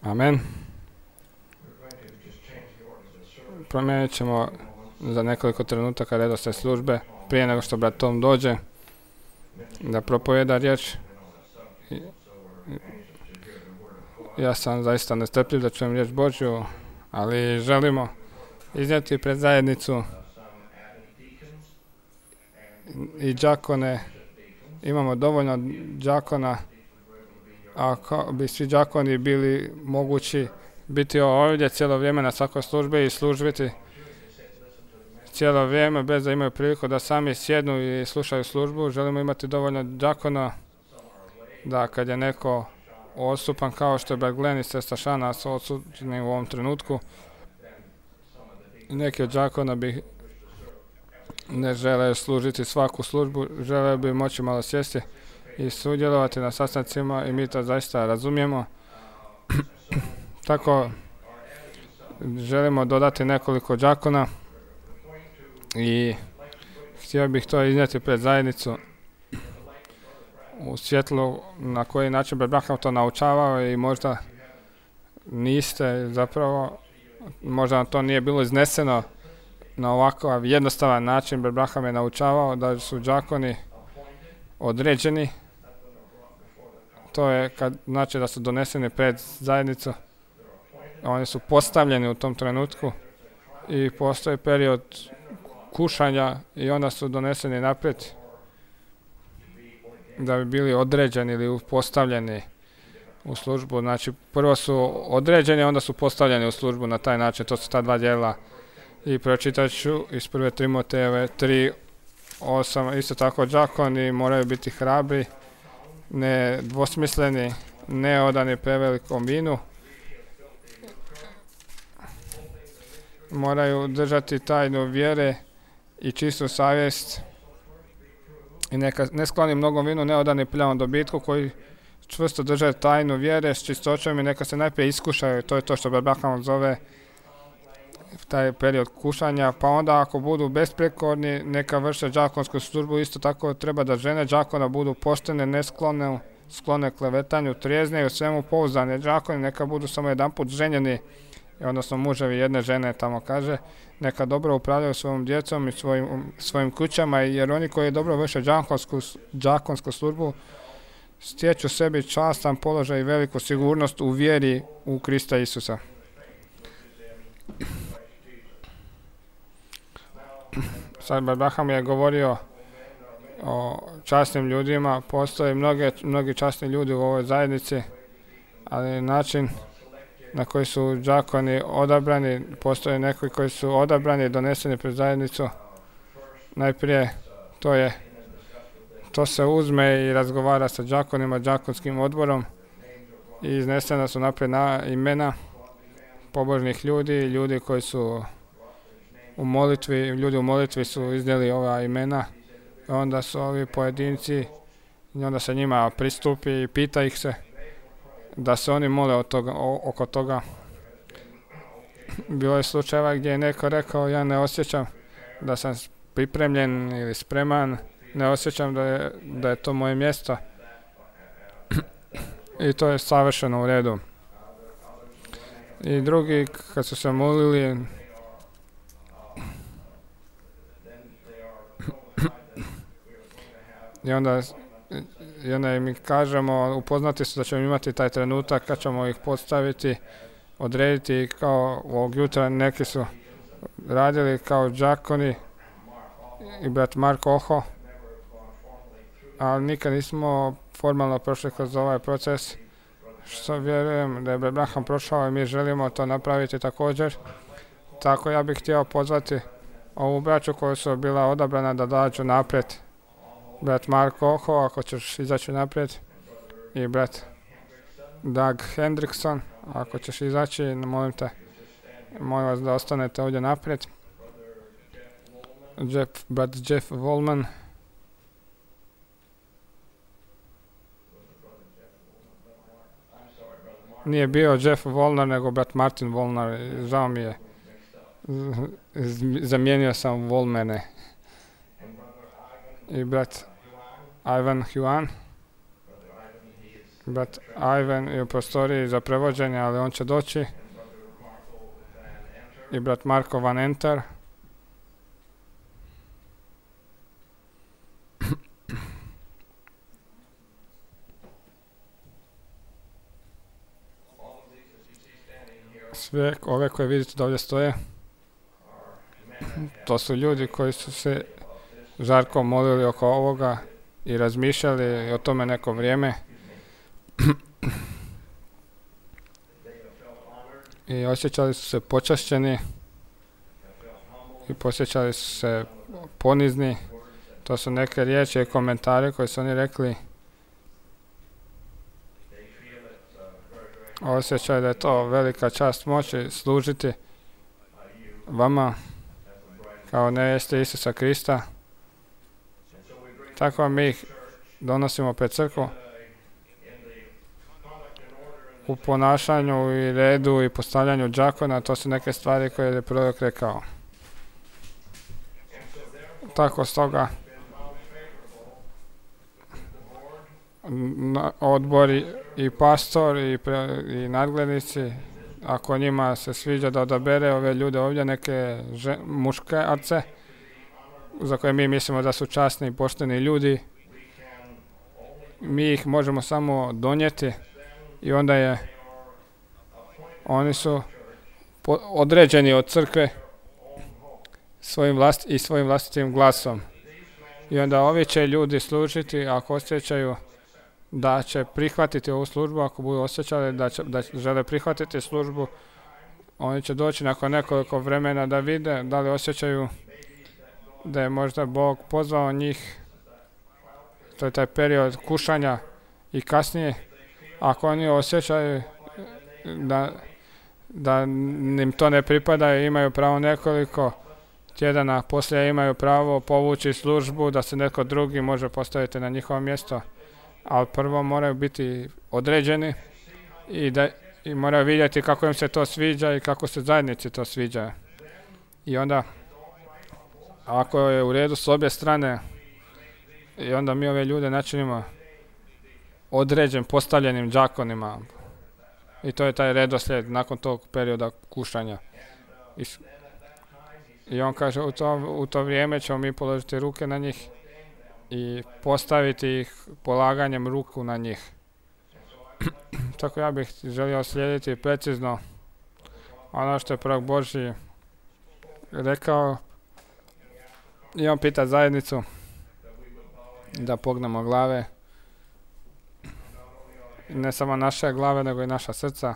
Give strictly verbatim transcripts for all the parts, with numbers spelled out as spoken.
Amen. Promijenit ćemo za nekoliko trenutaka redoslijed službe prije nego što brat Tom dođe da propovjeda riječ. Ja sam zaista nestrpljiv da čujem riječ Božju, ali želimo iznijeti pred zajednicu i đakone. Imamo dovoljno đakona. Ako bi svi đakoni bili mogući biti ovdje cijelo vrijeme na svakoj službi i služiti cijelo vrijeme bez da imaju priliku da sami sjednu i slušaju službu, želimo imati dovoljno đakona da kad je neko odsupan kao što je brat Glenn i sestra Šana su odsutni u ovom trenutku, neki od đakona bi ne žele služiti svaku službu, žele bi moći malo sjesti i sudjelovati na sastancima i mi to zaista razumijemo. Tako želimo dodati nekoliko đakona i htio bih to iznijeti pred zajednicu u svjetlu na koji način brat Branham to naučavao i možda niste zapravo, možda vam to nije bilo izneseno na ovakav jednostavan način. Brat Branham je naučavao da su đakoni određeni. To je kad znači da su doneseni pred zajednicu. Oni su postavljeni u tom trenutku i postoji period kušanja i onda su doneseni naprijed da bi bili određeni ili postavljeni u službu. Znači prvo su određeni, onda su postavljeni u službu na taj način. To su ta dva dijela. I pročitat ću iz prve Timotejeve tri osam. Isto tako đakoni moraju biti hrabri, ne dvosmisleni, ne odani prevelikom vinu. Moraju držati tajnu vjere i čistu savjest i neka ne skloni mnogom vinu, ne odani prljavom dobitku, koji čvrsto drže tajnu vjere s čistoćom i neka se najprije iskušaju. To je to što Branham zove taj period kušanja, pa onda ako budu besprekorni neka vrše đakonsku službu. Isto tako treba da žene đakona budu poštene, nesklone, sklone klevetanju, trijezne i u svemu pouzdane. Đakoni neka budu samo jedanput ženjeni, odnosno muževi jedne žene, tamo kaže, neka dobro upravljaju svojom djecom i svojim, svojim kućama, jer oni koji dobro vrše đakonsku, đakonsku službu stječu sebi častan položaj i veliku sigurnost u vjeri u Krista Isusa. Sad Branham je govorio o časnim ljudima. Postoje mnoge, mnogi časni ljudi u ovoj zajednici, ali način na koji su đakoni odabrani, postoje neki koji su odabrani i doneseni pred zajednicu. Najprije to je to se uzme i razgovara sa đakonima, đakonskim odborom i iznesena su naprijed na imena pobožnih ljudi, ljudi koji su u molitvi, ljudi u molitvi su iznijeli ova imena, onda su ovi pojedinci i onda se njima pristupi i pita ih se da se oni mole od toga, o, oko toga. Bilo je slučajeva gdje je neko rekao ja ne osjećam da sam pripremljen ili spreman, ne osjećam da je, da je to moje mjesto i to je savršeno u redu. I drugi kad su se molili i onda, i onda mi kažemo, upoznati su da ćemo imati taj trenutak kad ćemo ih postaviti, odrediti kao ovog jutra. Neki su radili kao đakoni i brat Mark Oho, ali nikad nismo formalno prošli kroz ovaj proces, što vjerujem da je brat Branham prošao i mi želimo to napraviti također. Tako ja bih htio pozvati ovu braću koja su bila odabrana da dođu naprijed. Brat Mark Oho, ako ćeš izaći naprijed, i brat Doug Hendrickson, ako ćeš izaći, molim te, molim vas da ostanete ovdje naprijed. Jeff, brat Jeff Volman, nije bio Jeff Volnar, nego brat Martin Volnar, žao mi je, zamijenio sam Volmene. I brat Ivan Huan, Brat Ivan je u prostoriji za prevođenje, ali on će doći. I brat Marko Van Enter. Sve ove koje vidite da ovdje stoje, to su ljudi koji su se žarko molili oko ovoga i razmišljali o tome neko vrijeme. I osjećali su se počašćeni i posjećali su se ponizni. To su neke riječi i komentare koje su oni rekli. Osjećaju da je to velika čast moći služiti vama kao nevjeste Isusa Krista. Tako mi ih donosimo pred crkvu u ponašanju i redu i postavljanju džakona. To su neke stvari koje je prorok rekao. Tako stoga odbori i pastor i, pre, i nadglednici, ako njima se sviđa da odabere ove ljude ovdje, neke žen, muškarce za koje mi mislimo da su časni i pošteni ljudi, mi ih možemo samo donijeti i onda je oni su po, određeni od crkve svojim vlast, i svojim vlastitim glasom. I onda ovi će ljudi služiti ako osjećaju da će prihvatiti ovu službu, ako budu osjećali da, će, da žele prihvatiti službu, oni će doći nakon nekoliko vremena da vide da li osjećaju da je možda Bog pozvao njih. To je taj period kušanja i kasnije. Ako oni osjećaju da, da im to ne pripada i imaju pravo nekoliko tjedana poslije, imaju pravo povući službu da se neko drugi može postaviti na njihovo mjesto. Ali prvo moraju biti određeni i, da, i moraju vidjeti kako im se to sviđa i kako se zajednici to sviđa. I onda, ako je u redu s obje strane, i onda mi ove ljude načinimo određen, postavljenim džakonima. I to je taj redoslijed nakon tog perioda kušanja. I, i on kaže, u to, u to vrijeme ćemo mi položiti ruke na njih i postaviti ih polaganjem ruku na njih. Tako ja bih želio slijediti precizno ono što je prorok Božji rekao. I on pita zajednicu da pognemo glave. Ne samo naše glave, nego i naša srca.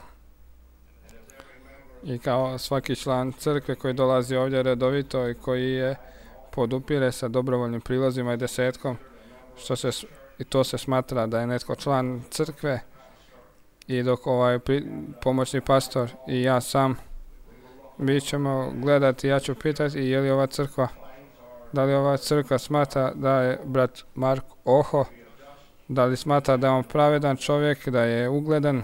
I kao svaki član crkve koji dolazi ovdje redovito i koji je podupire sa dobrovoljnim prilozima i desetkom, što se, i to se smatra da je netko član crkve, i dok ovaj pri, pomoćni pastor i ja sam, mi ćemo gledati, ja ću pitati je li ova crkva, da li ova crkva smatra da je brat Mark Oho, da li smatra da je on pravedan čovjek, da je ugledan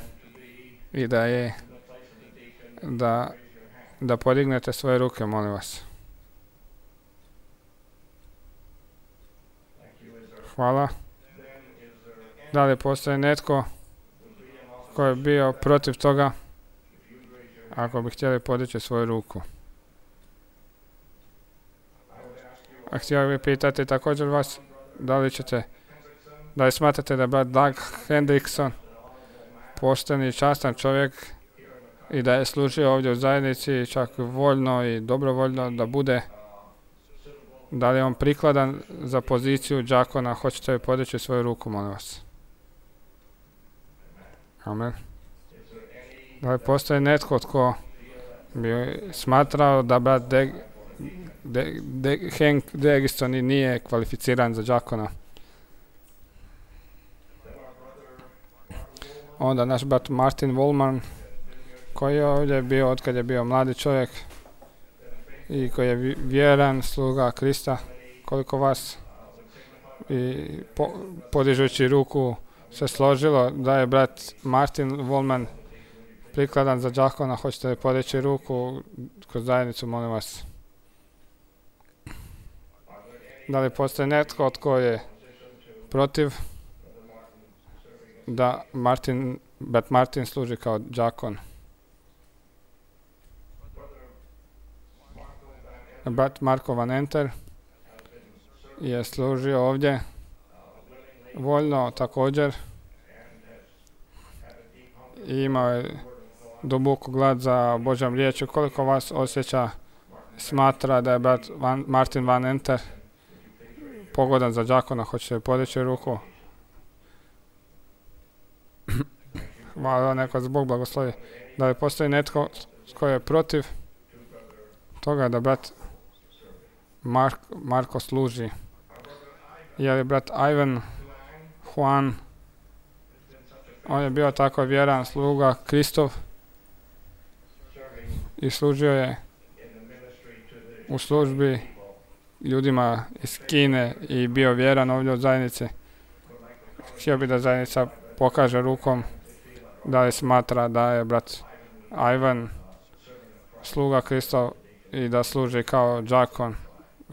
i da je, da, da podignete svoje ruke, molim vas. Hvala. Da li postoji netko koji je bio protiv toga, ako bi htjeli podići svoju ruku? A htio bih pitati također vas, da li ćete, da li smatrate da je brat Doug Hendrickson pošteni i častan čovjek i da je služio ovdje u zajednici čak voljno i dobrovoljno da bude, da li je on prikladan za poziciju džakona? Hoćete li podići svoju ruku, molim vas? Amen. Da li postoji netko tko bi smatrao da brat De, De, De, Hank Degiston nije kvalificiran za džakona? Onda naš brat Martin Wollman, koji je ovdje bio otkad je bio mladi čovjek i koji je vjeran sluga Krista, koliko vas i po, podižući ruku se složilo da je brat Martin Wollman prikladan za džakona. Hoćete li podići ruku kroz zajednicu, molim vas? Da li postoji netko tko je protiv da Martin, brat Martin služi kao đakon. Brat Marko Van Enter je služio ovdje voljno također i imao je duboku glad za Božjom riječju. Koliko vas osjeća, smatra da je brat Van, Martin Van Enter pogodan za đakona? Hoćete podići ruku? Hvala, neka Bog blagoslovi. Da li postoji netko tko je protiv toga da brat Mark, Marko služi? Je li brat Ivan Juan, on je bio tako vjeran sluga Kristov i služio je u službi ljudima iz Kine i bio vjeran ovdje od zajednice. Htio bi da zajednica pokaže rukom da li smatra da je brat Ivan sluga Kristov i da služi kao đakon.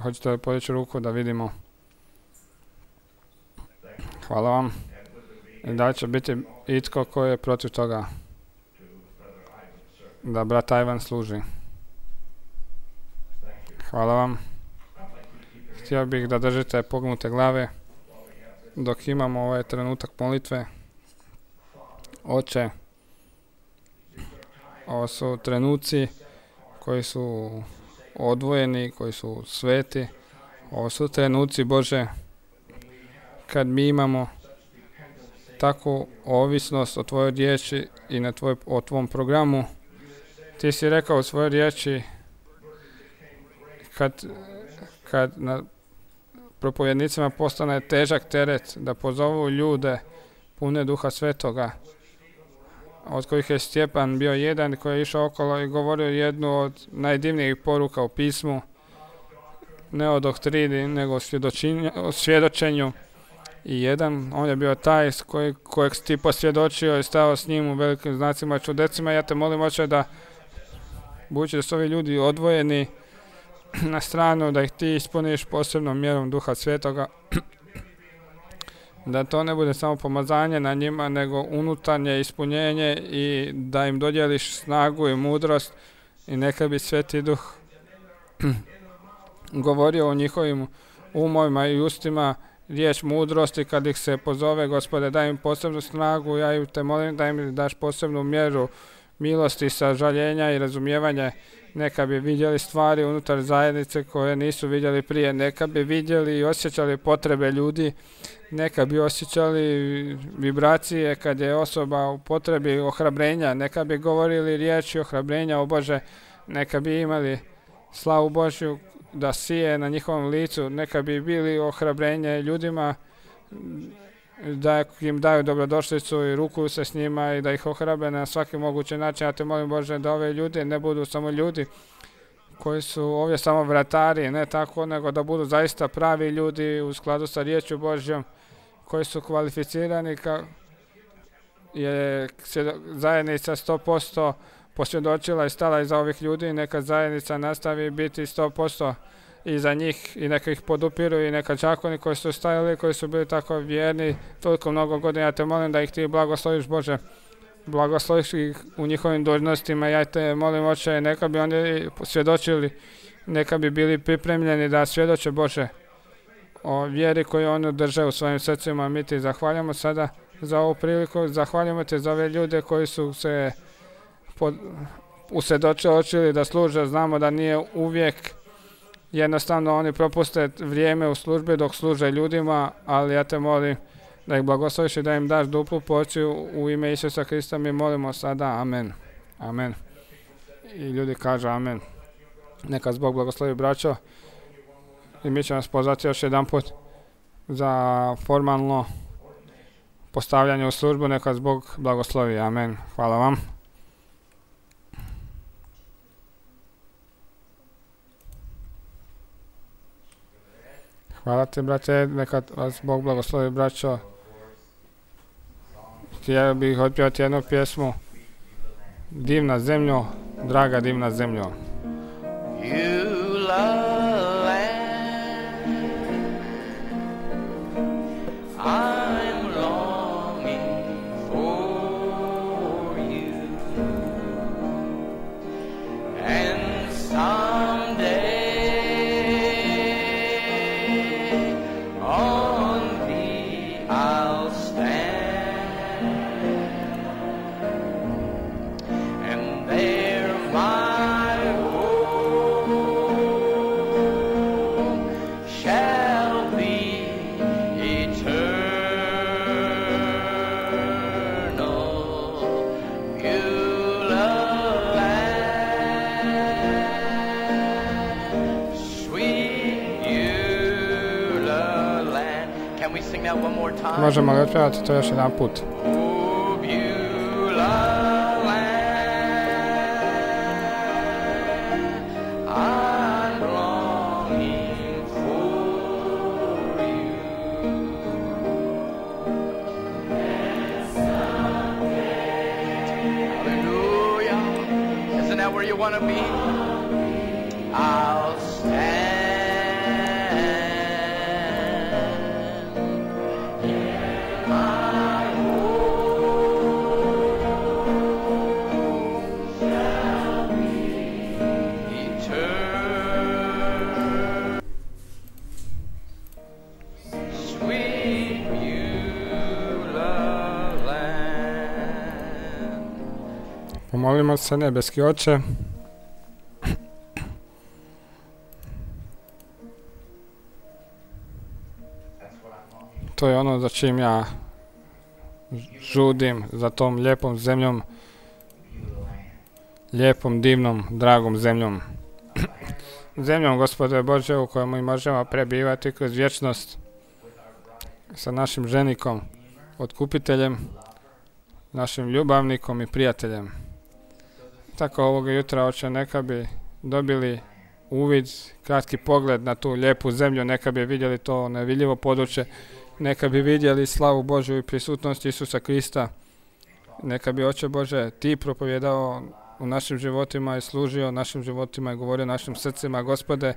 Hoćete li podići ruku da vidimo? Hvala vam. I da će biti itko koji je protiv toga da brat Ivan služi? Hvala vam. Htio bih da držite pognute glave dok imamo ovaj trenutak molitve. Oče, ovo su trenuci koji su odvojeni, koji su sveti. Ovo su trenuci, Bože, kad mi imamo takvu ovisnost o Tvojoj riječi i na tvoj, o Tvom programu. Ti si rekao u svojoj riječi kad, kad na propovjednicima postane težak teret da pozovu ljude pune Duha Svetoga, od kojih je Stjepan bio jedan koji je išao okolo i govorio jednu od najdivnijih poruka u pismu, ne o doktrini, nego o, o svjedočenju. I jedan, on je bio taj koji, kojeg si ti posvjedočio i stao s njim u velikim znacima i čudesima. Ja te molim, Oče, da budući da su ovi ljudi odvojeni na stranu, da ih ti ispuniš posebnom mjerom Duha Svetoga, da to ne bude samo pomazanje na njima, nego unutarnje ispunjenje i da im dodjeliš snagu i mudrost i neka bi Sveti Duh govorio o njihovim umovima i ustima riječ mudrosti kad ih se pozove. Gospode, daj im posebnu snagu, ja te molim da im daš posebnu mjeru milosti, sažaljenja i razumijevanja. Neka bi vidjeli stvari unutar zajednice koje nisu vidjeli prije, neka bi vidjeli i osjećali potrebe ljudi, neka bi osjećali vibracije kad je osoba u potrebi ohrabrenja, neka bi govorili riječi ohrabrenja, o Bože, neka bi imali slavu Božju da sije na njihovom licu, neka bi bili ohrabrenje ljudima, da im daju dobrodošlicu i rukuju se s njima i da ih ohrabe na svaki mogući način. Ja te molim, Bože, da ove ljudi ne budu samo ljudi koji su ovdje samo vratari, ne tako, nego da budu zaista pravi ljudi u skladu sa riječju Božjom, koji su kvalificirani, ka je zajednica sto posto posvjedočila i stala iza ovih ljudi. Neka zajednica nastavi biti sto posto iza njih i neka ih podupiru i neka đakoni koji su stajali, koji su bili tako vjerni toliko mnogo godina. Ja te molim da ih ti blagosloviš, Bože, blagosloviš ih u njihovim dužnostima. Ja te molim, Oče, neka bi oni svjedočili, neka bi bili pripremljeni da svjedoče, Bože, o vjeri koju oni drže u svojim srcima. Mi ti zahvaljamo sada za ovu priliku, zahvaljamo te za ove ljude koji su se usvjedočili da služe. Znamo da nije uvijek, jednostavno oni propuste vrijeme u službi dok služe ljudima, ali ja te molim da ih blagosloviš i da im daš duplu porciju u ime Isusa Krista. Mi molimo sada, amen. Amen. I ljudi kažu amen. Neka Bog blagoslovi, braćo. I mi ćemo vas pozvati još jedan put za formalno postavljanje u službu. Neka Bog blagoslovi. Amen. Hvala vam. Hvala ti, brate, neka vas Bog blagoslovi, braćo. Htio bih otpjevati jednu pjesmu. Divna zemljo, draga divna zemljo. I'm longing me out one more time? Možemo li otpjevati to još jedan put? Oh, Beulah land, I'm longing for you. Hallelujah. Isn't that where you want to be? I'll stand. Pomolimo se, nebeski Oče. To je ono za čim ja žudim, za tom lijepom zemljom, lijepom, divnom, dragom zemljom. Zemljom, Gospode Bože, u kojoj mi možemo prebivati kroz vječnost sa našim ženikom, otkupiteljem, našim ljubavnikom i prijateljem. Tako ovoga jutra, Oče, neka bi dobili uvid, kratki pogled na tu lijepu zemlju, neka bi vidjeli to nevidljivo područje, neka bi vidjeli slavu Božju i prisutnost Isusa Krista, neka bi, Oče Bože, Ti propovjedao u našim životima i služio našim životima i govorio našim srcima. Gospode,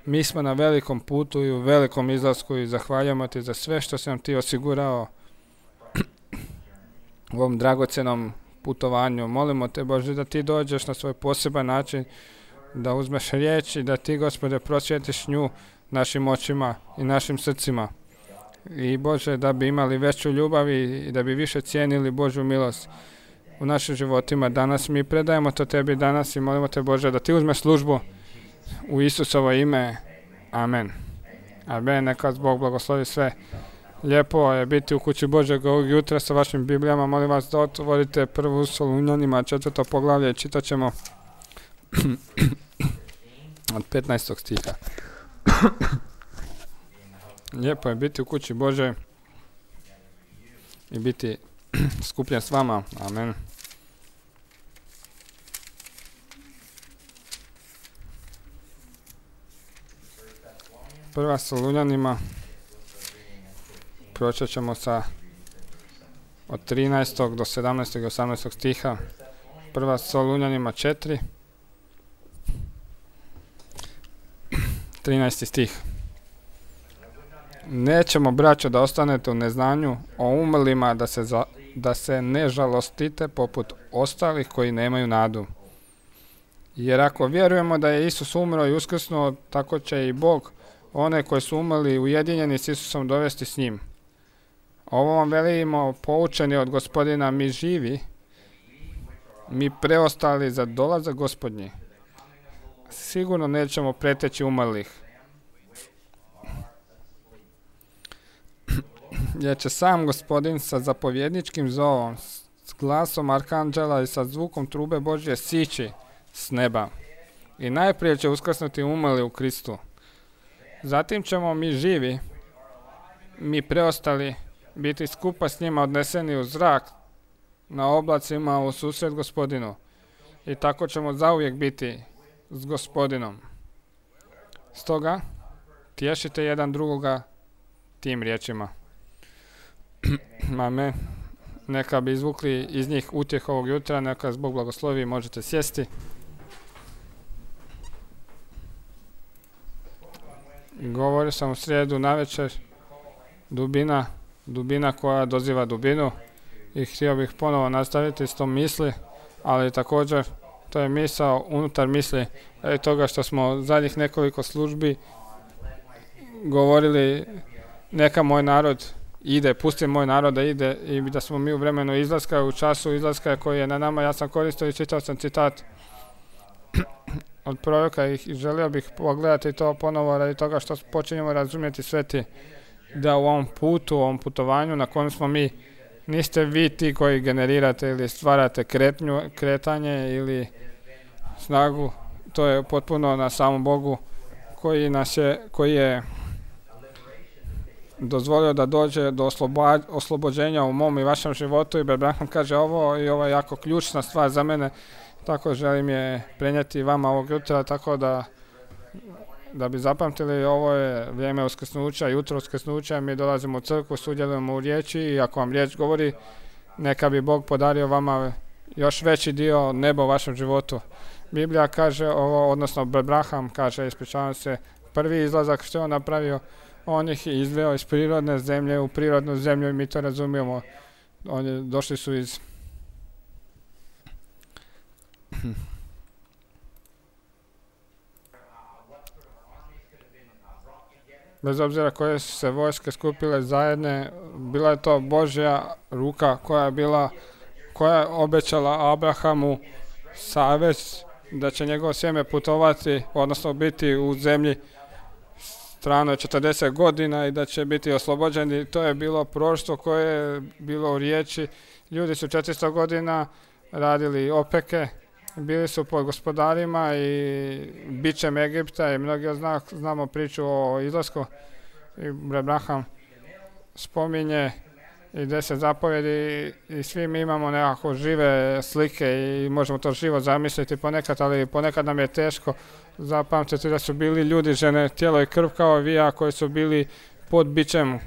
mi smo na velikom putu i u velikom izlasku i zahvaljujemo Ti za sve što si nam Ti osigurao u ovom dragocjenom putovanju. Molimo Te, Bože, da Ti dođeš na svoj poseban način, da uzmeš riječ i da Ti, Gospode, prosvjetiš nju našim očima i našim srcima. I, Bože, da bi imali veću ljubav i da bi više cijenili Božju milost u našim životima. Danas mi predajemo to Tebi danas i molimo Te, Bože, da Ti uzmeš službu u Isusovo ime. Amen. Amen. Neka Bog blagoslovi sve. Lijepo je biti u kući Božeg ovog jutra sa vašim Biblijama. Molim vas da otvorite prvu Solunjanima, četvrto poglavlje, čitat ćemo od petnaestog stiha. Lijepo je biti u kući Bože i biti skupljen s vama. Amen. Prva Solunjanima, pročet ćemo sa od trinaestog do sedamnaestog i osamnaestog stiha. Prva Solunjanima četiri, trinaesti stih. Nećemo, braćo, da ostanete u neznanju o umrlima, da se, za, da se ne žalostite poput ostalih koji nemaju nadu. Jer ako vjerujemo da je Isus umro i uskrsnuo, tako će i Bog one koji su umrli ujedinjeni s Isusom dovesti s njim. Ovo vam velimo, poučeni od Gospodina, mi živi, mi preostali za dolazak Gospodnji. Sigurno nećemo preteći umrlih. Jer će sam Gospodin sa zapovjedničkim zovom, s glasom arkanđela i sa zvukom trube Božje sići s neba. I najprije će uskrsnuti umrli u Kristu. Zatim ćemo mi živi, mi preostali, biti skupa s njima odneseni u zrak na oblacima u susret Gospodinu. I tako ćemo zauvijek biti s Gospodinom. Stoga, tješite jedan drugoga tim riječima. Amen. Neka bi izvukli iz njih utjeh ovog jutra, neka Bog blagoslovi, možete sjesti. Govorio sam u srijedu navečer, dubina, dubina koja doziva dubinu, i htio bih ponovo nastaviti s tom misli, ali također to je misao unutar misli i toga što smo zadnjih nekoliko službi govorili neka moj narod ide, pusti moj narod da ide, i da smo mi u vremenu izlaska, u času izlaska koji je na nama. Ja sam koristio i čitao sam citat od proroka i želio bih pogledati to ponovo radi toga što počinjemo razumjeti sveti da u ovom putu, u ovom putovanju na kojem smo mi, niste vi ti koji generirate ili stvarate kretnju, kretanje ili snagu, to je potpuno na samom Bogu koji nas je, koji je dozvolio da dođe do osloba, oslobođenja u mom i vašem životu i Abraham kaže ovo i ovo je jako ključna stvar za mene, tako želim je prenijeti vama ovog jutra, tako da da bi zapamtili, ovo je vrijeme uskrsnuća, jutro uskrsnuća, mi dolazimo u crkvu, sudjelujemo u riječi i ako vam riječ govori, neka bi Bog podario vama još veći dio neba u vašem životu. Biblija kaže ovo, odnosno Abraham kaže, ispričavam se, prvi izlazak što je on napravio, on ih je izveo iz prirodne zemlje u prirodnu zemlju i mi to razumijemo. Oni došli su iz bez obzira koje su se vojske skupile zajedne, bila je to Božja ruka koja je bila, koja je obećala Abrahamu savez da će njegovo sjeme putovati, odnosno biti u zemlji stranoj četrdeset godina i da će biti oslobođeni. To je bilo proroštvo koje je bilo u riječi. Ljudi su četiristo godina radili opeke, bili su pod gospodarima i bićem Egipta i mnogi zna, znamo priču o izlasku. I Abraham spominje i deset zapovjedi i svi mi imamo nekako žive slike i možemo to živo zamisliti ponekad, ali ponekad nam je teško zapamtiti da su bili ljudi, žene, tijelo i krv kao vi, a koji su bili pod bićem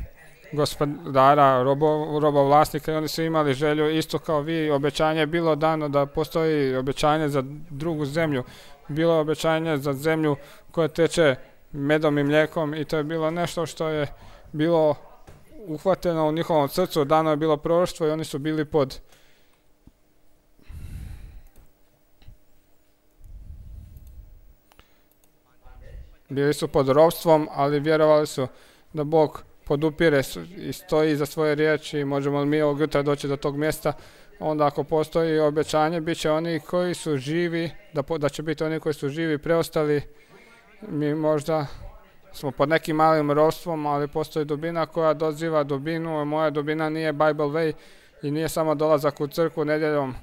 gospodara, robo, robovlasnika i oni su imali želju isto kao vi. Obećanje je bilo dano da postoji obećanje za drugu zemlju. Bilo je obećanje za zemlju koja teče medom i mlijekom i to je bilo nešto što je bilo uhvateno u njihovom srcu, dano je bilo proroštvo i oni su bili pod bili su pod ropstvom, ali vjerovali su da Bog podupire i stoji za svoje riječi i možemo li mi ovog jutra doći do tog mjesta, onda ako postoji obećanje, bit će oni koji su živi, da, po, da će biti oni koji su živi preostali. Mi možda smo pod nekim malim ropstvom, ali postoji dubina koja doziva dubinu. Moja dubina nije Bible way i nije samo dolazak u crkvu nedjeljom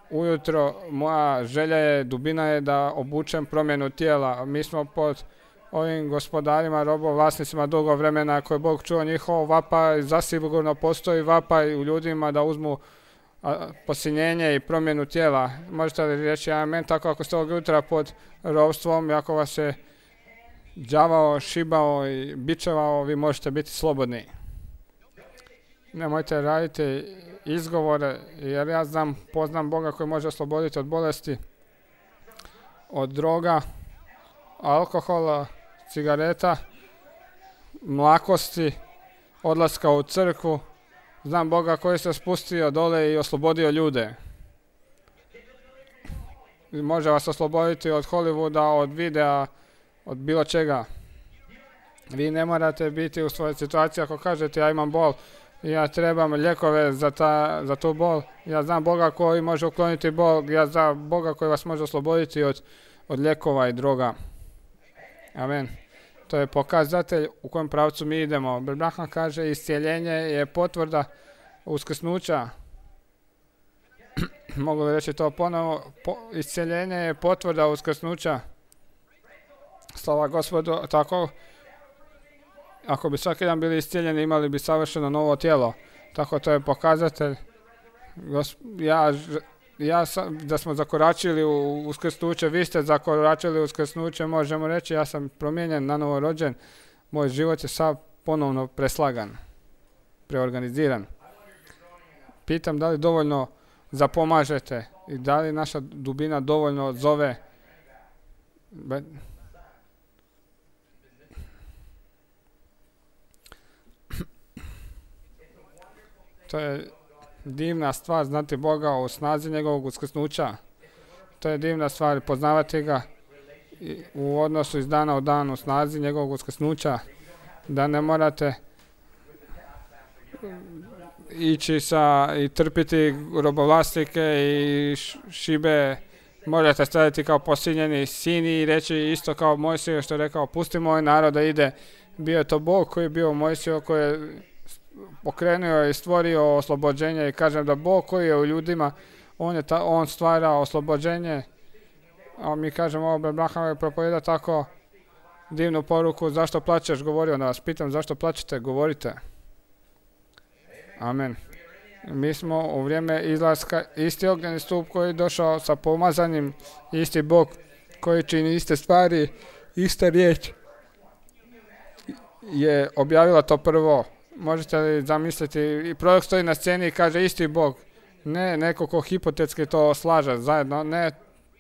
ujutro. Moja želja je, dubina je da obučem promjenu tijela. Mi smo pod ovim gospodarima, robovlasnicima dugo vremena, ako je Bog čuo njihov vapaj, zasigurno postoji vapaj u ljudima da uzmu posinjenje i promjenu tijela. Možete li reći amen? Tako ako ste ovog jutra pod ropstvom i ako vas je đavao, šibao i bičevao, vi možete biti slobodni. Nemojte raditi izgovore, jer ja znam, poznam Boga koji može osloboditi od bolesti, od droga, alkohola, cigareta, mlakosti, odlaska u crkvu. Znam Boga koji se spustio dole i oslobodio ljude. Može vas osloboditi od Hollywooda, od videa, od bilo čega. Vi ne morate biti u svojoj situaciji ako kažete ja imam bol i ja trebam lijekove za, ta, za tu bol. Ja znam Boga koji može ukloniti bol, ja znam Boga koji vas može osloboditi od, od lijekova i droga. Amen. To je pokazatelj u kojem pravcu mi idemo. Abraham kaže iscijeljenje je potvrda uskrsnuća. Mogu li reći to ponovo? Po, iscijeljenje je potvrda uskrsnuća. Slava Gospodu, tako ako bi svaki dan bili iscijeljeni, imali bi savršeno novo tijelo. Tako to je pokazatelj. Ja, ja sam, da smo zakoračili u uskrsnuće, vi ste zakoračili u uskrsnuće, možemo reći ja sam promijenjen, nanovo rođen, moj život je sav ponovno preslagan, preorganiziran. Pitam da li dovoljno zapomažete i da li naša dubina dovoljno zove. Be To je divna stvar znati Boga u snazi njegovog uskrsnuća. To je divna stvar poznavati ga u odnosu iz dana u dan u snazi njegovog uskrsnuća. Da ne morate ići sa i trpiti robovlasnike i šibe. Možete staviti kao posinjeni sini i reći isto kao Mojsiju što je rekao pusti moj narod da ide. Bio je to Bog koji je bio Mojsiju koji je pokrenuo i stvorio oslobođenje i kažem da Bog koji je u ljudima, on, je ta, on stvara oslobođenje. A mi kažemo ovo Abraham je propovjeda tako divnu poruku. Zašto plačeš? Govorio da vas pitam zašto plačete? Govorite. Amen. Mi smo u vrijeme izlaska isti ognjeni stup koji je došao sa pomazanjem, isti Bog koji čini iste stvari, ista riječ je objavila to prvo. Možete li zamisliti, i prorok stoji na sceni i kaže isti Bog, ne neko ko hipotetski to slaže zajedno, ne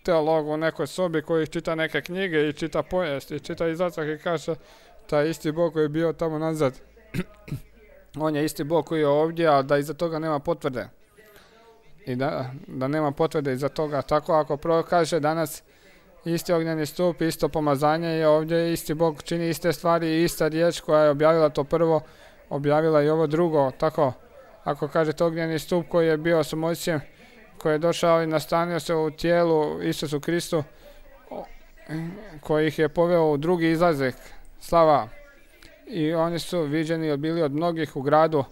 teolog u nekoj sobi koji čita neke knjige i čita povijest i čita izlazak i kaže taj isti Bog koji je bio tamo nazad. On je isti Bog koji je ovdje, a da iza toga nema potvrde. I da, da nema potvrde iza toga. Tako ako prorok kaže danas isti ognjeni stup, isto pomazanje je ovdje, isti Bog čini iste stvari i ista riječ koja je objavila to prvo, objavila i ovo drugo. Tako, ako kažete ognjeni stup koji je bio sa Mojsijem, koji je došao i nastanio se u tijelu Isusu Kristu, koji ih je poveo u drugi izlazak, slava. I oni su viđeni bili od mnogih u gradu.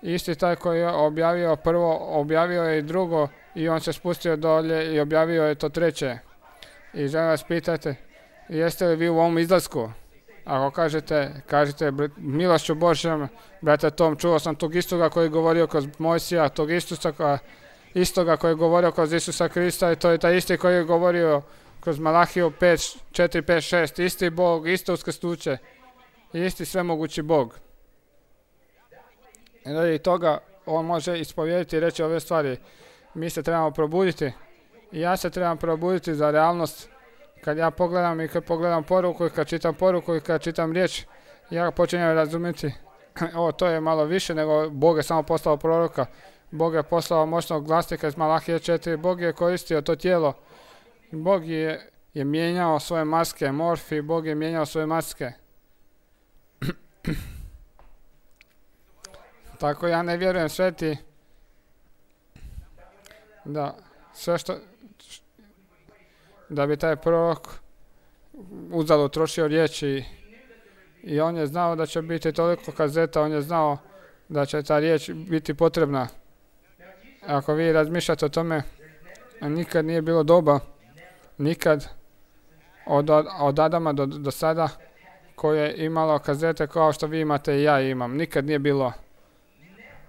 Isti taj koji je objavio prvo, objavio je i drugo i on se spustio dolje i objavio je to treće. I želim vas pitati, jeste li vi u ovom izlasku? Ako kažete, kažete milošću Božjom, brate Tom, čuo sam tog istoga koji je govorio kroz Mojsija, tog istoga, istoga koji je govorio kroz Isusa Krista i to je taj isti koji je govorio kroz Malahiju pet, četiri, pet, šest, isti Bog, isto uskrsnuće, isti svemogući Bog. I radi toga on može ispovjediti i reći ove stvari. Mi se trebamo probuditi i ja se trebam probuditi za realnost. Kad ja pogledam i kad pogledam poruku i kad čitam poruku i kad čitam riječ, ja počinjem razumjeti. O, to je malo više nego Bog je samo poslao proroka. Bog je poslao moćnog glasnika iz Malahije četiri. Bog je koristio to tijelo. Bog je, je mijenjao svoje maske, morfi, Bog je mijenjao svoje maske. Tako ja ne vjerujem sveti da sve što da bi taj prorok uzalud trošio riječi i on je znao da će biti toliko kazeta, on je znao da će ta riječ biti potrebna. Ako vi razmišljate o tome, nikad nije bilo doba, nikad od, od Adama do, do sada koje je imalo kazete kao što vi imate i ja imam. Nikad nije bilo.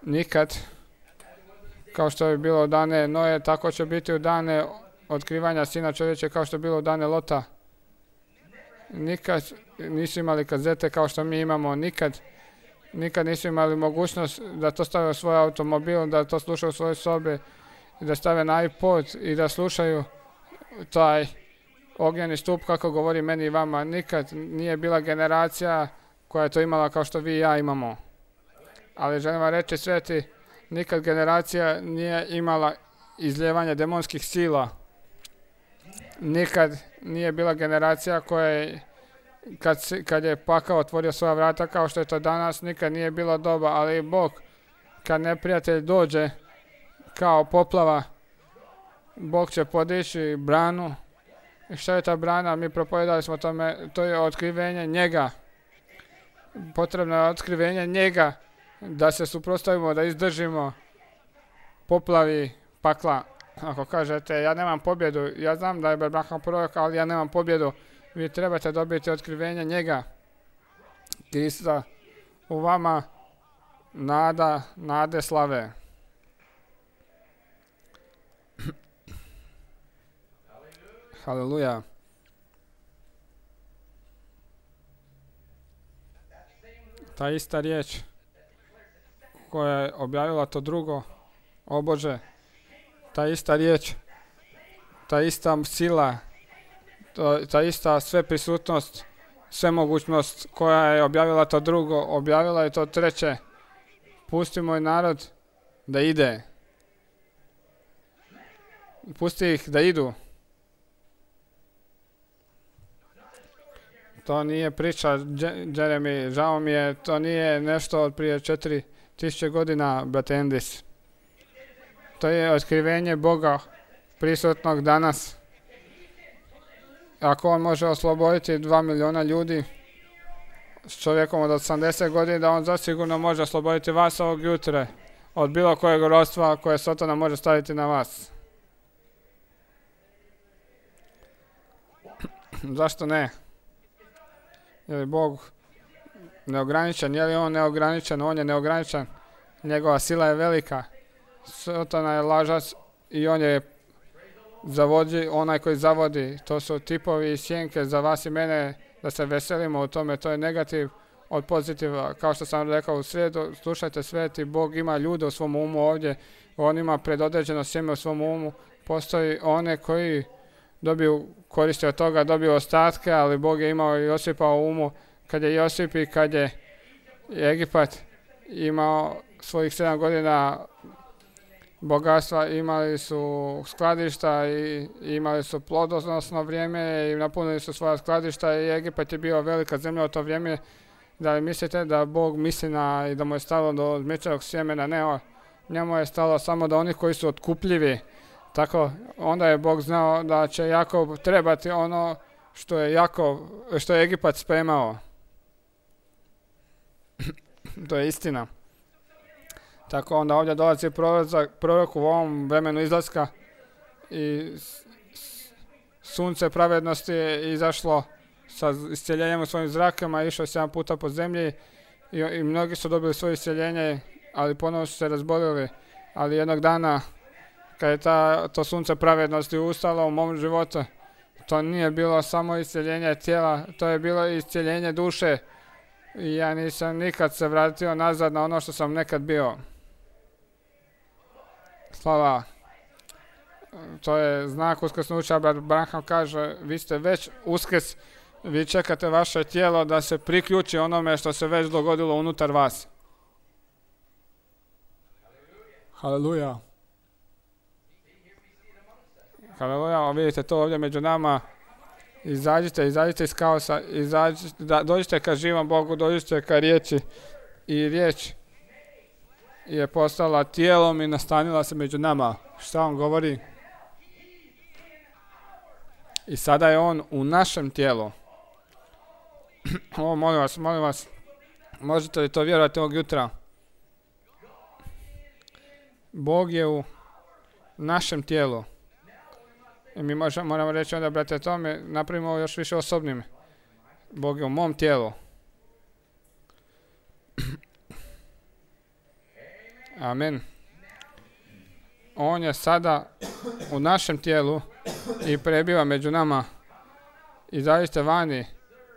Nikad. Kao što je bilo u dane Noje, tako će biti u dane otkrivanja Sina čovječe, kao što je bilo u dane Lota. Nikad nisu imali kazete kao što mi imamo. Nikad. Nikad nisu imali mogućnost da to stave u svoj automobil, da to slušaju u svojoj sobi, da stave na iPod i da slušaju taj ognjeni stup kako govori meni i vama. Nikad nije bila generacija koja je to imala kao što vi i ja imamo. Ali želim vam reći sveti, nikad generacija nije imala izljevanje demonskih sila. Nikad nije bila generacija koja je, kad, kad je pakao otvorio svoja vrata kao što je to danas, nikad nije bilo doba, ali Bog, kad neprijatelj dođe kao poplava, Bog će podići branu. I što je ta brana? Mi propovedali smo tome, to je otkrivenje njega. Potrebno je otkrivenje njega da se suprotstavimo, da izdržimo poplavi pakla. Ako kažete, ja nemam pobjedu, ja znam da je Abraham prorok, ali ja nemam pobjedu. Vi trebate dobiti otkrivenje njega. Krista u vama, nada, nade slave. Haleluja. Ta ista riječ koja je objavila to drugo, o Bože, ta ista riječ, ta ista sila, to, ta ista sveprisutnost, svemogućnost koja je objavila to drugo, objavila je to treće. Pusti moj narod da ide. Pusti ih da idu. To nije priča, Jeremy, žao mi je, to nije nešto od prije četiri tisuće godina, brate Endis. To je otkrivenje Boga prisutnog danas. Ako on može osloboditi dva miliona ljudi s čovjekom od osamdeset godina, da on zasigurno može osloboditi vas ovog jutra od bilo kojeg ropstva koje Satana može staviti na vas. Zašto ne? Je li Bog neograničen? Je li on neograničen? On je neograničen. Njegova sila je velika. Satana je lažac i on je zavodi, onaj koji zavodi. To su tipovi i sjenke za vas i mene da se veselimo u tome. To je negativ od pozitiva. Kao što sam rekao u srijedu, slušajte sveti, Bog ima ljude u svom umu ovdje. On ima predodređeno sjeme u svom umu. Postoji one koji dobiju koristi od toga, dobiju ostatke, ali Bog je imao Josipa u umu. Kad je Josip i kad je Egipat imao svojih sedam godina bogatstva, imali su skladišta i imali su plodonosno vrijeme i napunili su svoja skladišta i Egipat je bio velika zemlja u to vrijeme. Da li mislite da Bog misli na i da mu je stalo do zmičevog sjemena? Ne, njemu je stalo samo do onih koji su otkupljivi. Tako, onda je Bog znao da će Jakov trebati ono što je Jakov, što je Egipat spremao. To je istina. Tako onda ovdje dolazi prorok u ovom vremenu izlaska i sunce pravednosti je izašlo sa iscjeljenjem u svojim zrakama, išao sedam puta po zemlji i, i mnogi su dobili svoje iscjeljenje, ali ponovno su se razbolili. Ali jednog dana, kad je ta, to sunce pravednosti ustalo u mom životu, to nije bilo samo iscjeljenje tijela, to je bilo iscjeljenje duše. I ja nisam nikad se vratio nazad na ono što sam nekad bio. Slava. To je znak uskrsnuća. Branham kaže, vi ste već uskrs, vi čekate vaše tijelo da se priključi onome što se već dogodilo unutar vas. Haleluja. Haleluja, vidite to ovdje među nama. Izađite, izađite iz kaosa, izađite, da, dođite ka živom Bogu, dođite ka riječi i riječ je postala tijelom i nastanila se među nama. Šta on govori? I sada je on u našem tijelu. O, molim vas, molim vas, možete li to vjerovati ovog jutra? Bog je u našem tijelu. I mi možemo, moramo reći onda, brate, tome, napravimo ovo još više osobnim. Bog je u mom tijelu. Amen. On je sada u našem tijelu i prebiva među nama. Izađite vani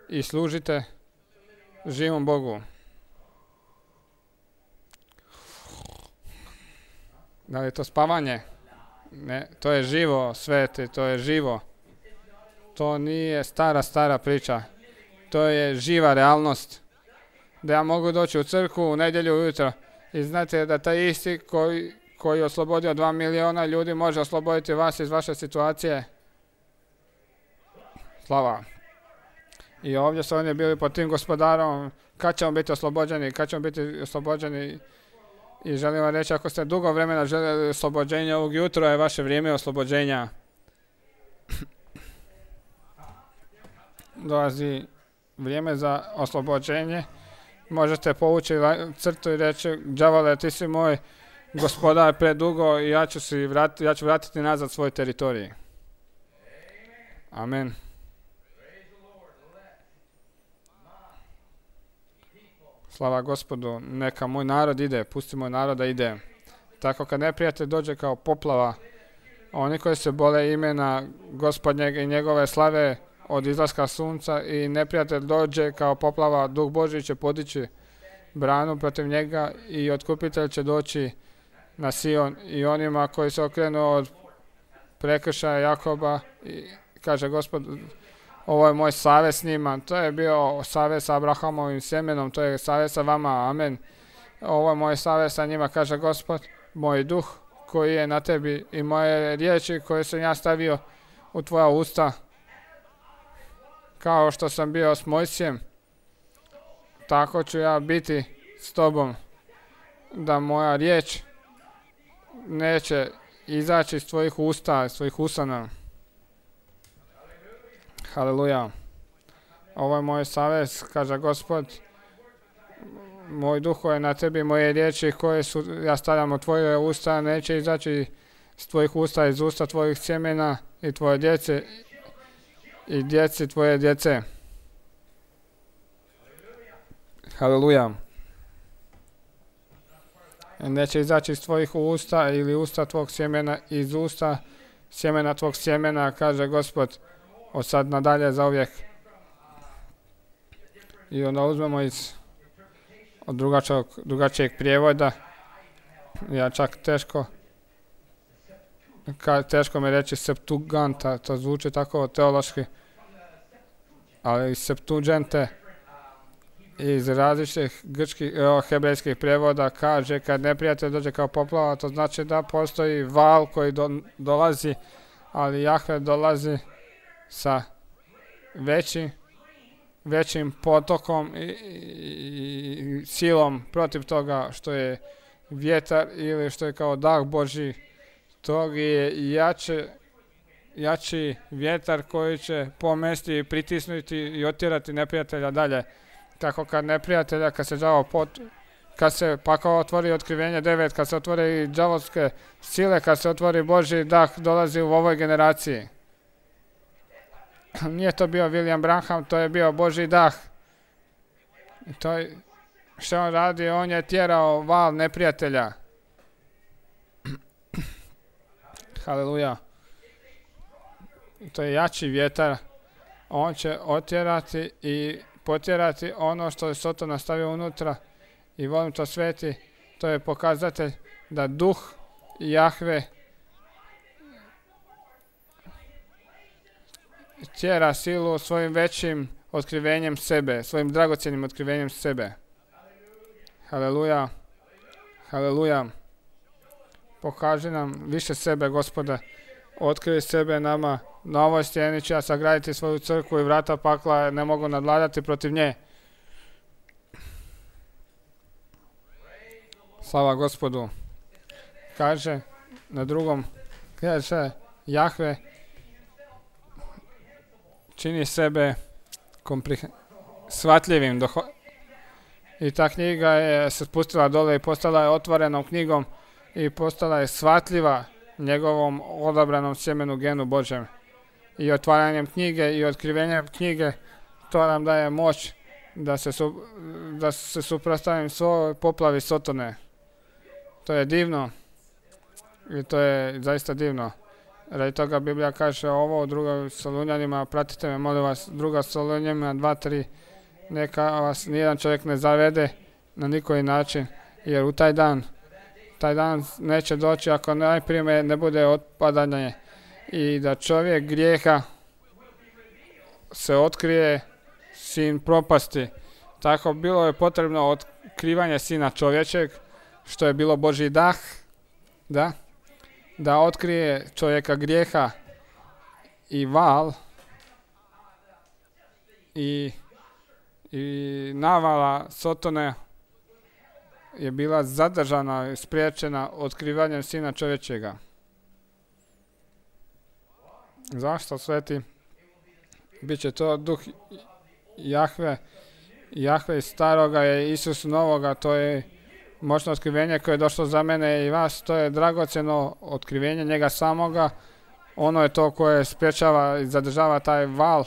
i služite živom Bogu. Da li je to spavanje? Ne, to je živo, sveti, to je živo. To nije stara, stara priča. To je živa realnost. Da ja mogu doći u crkvu u nedjelju ujutro i znate da taj isti koji, koji je oslobodio dva miliona ljudi može osloboditi vas iz vaše situacije. Slava. I ovdje su oni bili pod tim gospodarom. Kad ćemo biti oslobođeni? Kad ćemo biti oslobođeni? I želim vam reći, ako ste dugo vremena željeli oslobođenja, ovog jutra je vaše vrijeme oslobođenja. Dolazi vrijeme za oslobođenje. Možete povući crtu i reći, đavole, ti si moj gospodar predugo i ja ću, si vrati, ja ću vratiti nazad svoj teritorij. Amen. Slava Gospodu, neka moj narod ide, pusti moj narod da ide. Tako kad neprijatelj dođe kao poplava, oni koji se bole imena Gospodnjeg i njegove slave od izlaska sunca i neprijatelj dođe kao poplava, Duh Božji će podići branu protiv njega i otkupitelj će doći na Sion i onima koji se okrenu od prekršaja Jakoba i kaže Gospod, ovo je moj savez s njima. To je bio savez sa Abrahamovim sjemenom, to je savez sa vama, amen. Ovo je moj savez sa njima, kaže Gospod, moj duh koji je na tebi i moje riječi koje sam ja stavio u tvoja usta, kao što sam bio s Mojsijem, tako ću ja biti s tobom, da moja riječ neće izaći iz tvojih usta, iz tvojih usana. Haleluja. Ovo je moj savez, kaže Gospod. Moj duh je na tebi, moje riječi koje su, ja stavljam u tvoje usta, neće izaći iz tvojih usta, iz usta tvojih sjemena i tvoje djece i djeci tvoje djece. Haleluja. Neće izaći iz tvojih usta ili usta tvog sjemena, iz usta sjemena tvog sjemena, kaže Gospod, od sad nadalje za uvijek. I onda uzmemo iz od drugačijeg, drugačijeg prijevoda. Ja čak teško ka, teško mi reći Septuaganta, to zvuči tako teološki, ali iz Septuaginte, iz različitih grčkih, hebrejskih prijevoda kaže kad neprijatelj dođe kao poplava, to znači da postoji val koji do, dolazi, ali Jahve dolazi sa većim, većim potokom i, i, i silom protiv toga što je vjetar ili što je kao dah Božji. Tog je jače, jači vjetar koji će pomesti i pritisnuti i otjerati neprijatelja dalje. Tako kad neprijatelja, kad se đavo pot, kad se pakao otvori otkrivenje devet, kad se otvori i đavolske sile, kad se otvori Božji dah, dolazi u ovoj generaciji. Nije to bio William Branham, to je bio Božji dah. I to je, što on radi, on je tjerao val neprijatelja. Haleluja. To je jači vjetar. On će otjerati i potjerati ono što je Soton nastavio unutra. I volim to sveti. To je pokazatelj da duh Jahve tjera silu svojim većim otkrivenjem sebe, svojim dragocjenim otkrivenjem sebe. Haleluja. Haleluja. Pokaži nam više sebe, Gospode. Otkrij sebe nama. Na ovoj stijeni će ja sagraditi svoju crkvu i vrata pakla ne mogu nadvladati protiv nje. Slava Gospodu. Kaže na drugom, kaže Jahve čini sebe komprih- shvatljivim. Doho- I ta knjiga je se spustila dole i postala je otvorenom knjigom i postala je shvatljiva njegovom odabranom sjemenu genu Božjem. I otvaranjem knjige i otkrivenjem knjige to nam daje moć da se, su, da se suprotstavim svoj poplavi Sotone. To je divno i to je zaista divno. Radi toga Biblija kaže ovo u drugoj Solunjanima, pratite me molim vas, druga Solunjanima dva tri, neka vas nijedan čovjek ne zavede na nikoji način, jer u taj dan taj dan neće doći ako najprije ne bude otpadanje i da čovjek grijeha se otkrije sin propasti. Tako bilo je potrebno otkrivanje sina čovječeg, što je bilo Božji dah, da, da otkrije čovjeka grijeha i val i, i navala Sotone je bila zadržana i spriječena otkrivanjem sina čovječega. Zašto, sveti? Biće to duh Jahve. Jahve iz staroga je Isus novoga, to je moćno otkrivenje koje je došlo za mene i vas, to je dragocjeno otkrivenje njega samoga. Ono je to koje spriječava i zadržava taj val,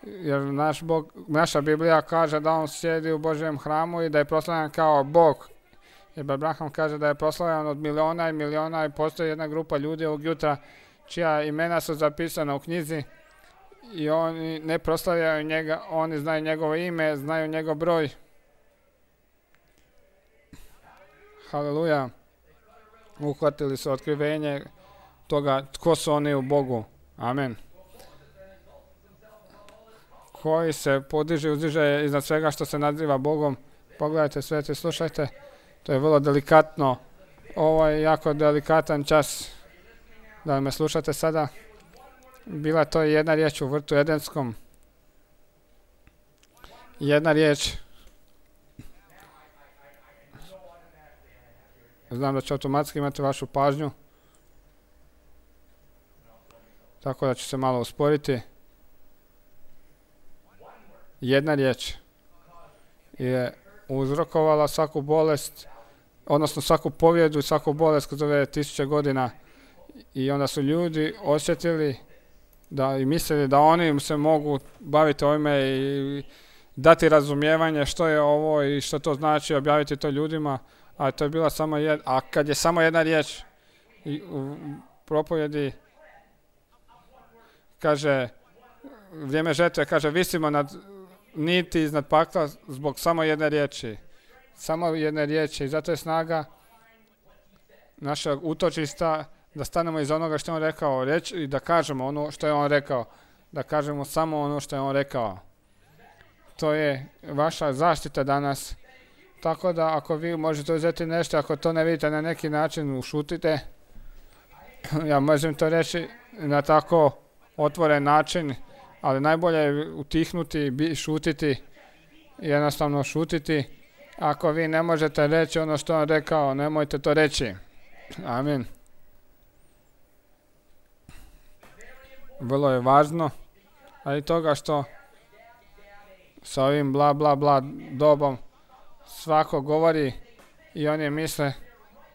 jer naš Bog, naša Biblija kaže da on sjedi u Božjem hramu i da je proslavljan kao Bog. Jer Abraham kaže da je proslavljan od miliona i miliona i postoji jedna grupa ljudi ovog jutra čija imena su zapisana u knjizi i oni ne proslavljaju njega, oni znaju njegovo ime, znaju njegov broj. Haleluja. Uhvatili su otkrivenje toga tko su oni u Bogu. Amen. Koji se podiže, uzdiže iznad svega što se naziva Bogom. Pogledajte sveti, slušajte. To je vrlo delikatno. Ovo je jako delikatan čas. Da me slušate sada. Bila to jedna riječ u vrtu Edenskom. Jedna riječ. Znam da će automatski imati vašu pažnju. Tako da ću se malo usporiti. Jedna riječ je uzrokovala svaku bolest, odnosno svaku povjedu i svaku bolest kroz ove tisuće godina. I onda su ljudi osjetili da i mislili da oni se mogu baviti ovime i, dati razumijevanje što je ovo i što to znači, objaviti to ljudima, a to je bila samo jedna, a kad je samo jedna riječ i u propovjedi kaže vrijeme žetve, kaže visimo nad niti iznad pakla zbog samo jedne riječi. Samo jedne riječi i zato je snaga našeg utočišta da stanemo iz onoga što je on rekao reći i da kažemo ono što je on rekao. Da kažemo samo ono što je on rekao. To je vaša zaštita danas. Tako da ako vi možete uzeti nešto, ako to ne vidite na neki način, ušutite. Ja možem to reći na tako otvoren način, ali najbolje je utihnuti, šutiti, jednostavno šutiti. Ako vi ne možete reći ono što on rekao, nemojte to reći. Amin. Vrlo je važno, ali toga što sa ovim bla bla bla dobom svako govori i oni misle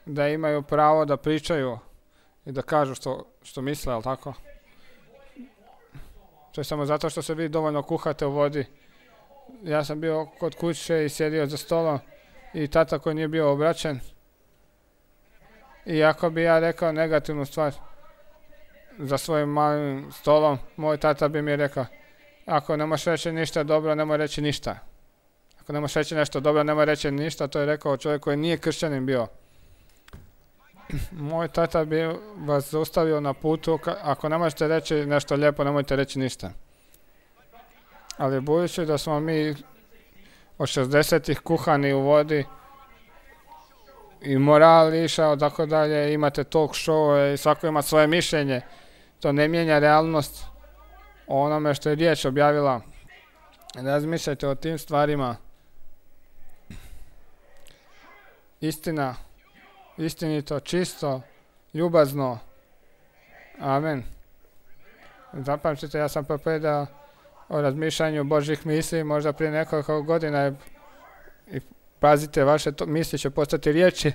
da imaju pravo da pričaju i da kažu što, što misle, ali tako? To je samo zato što se vi dovoljno kuhate u vodi. Ja sam bio kod kuće i sjedio za stolom i tata koji nije bio obraćen. I ako bi ja rekao negativnu stvar za svojim malim stolom, moj tata bi mi rekao, ako ne možeš reći ništa dobro, nemoj reći ništa. Ako ne možeš reći nešto dobro, nemoj reći ništa, to je rekao čovjek koji nije kršćanin bio. Moj tata bi vas zaustavio na putu, ako ne možete reći nešto lijepo, nemojte reći ništa. Ali budući da smo mi od šezdesetih kuhani u vodi i moral išao, tako dalje, imate talk show i svako ima svoje mišljenje, to ne mijenja realnost o onome što je riječ objavila. Razmišljajte o tim stvarima. Istina, istinito, čisto, ljubazno. Amen. Zapamćite, ja sam propovjedao o razmišljanju Božjih misli možda prije nekoliko godina i pazite, vaše to, misli će postati riječi.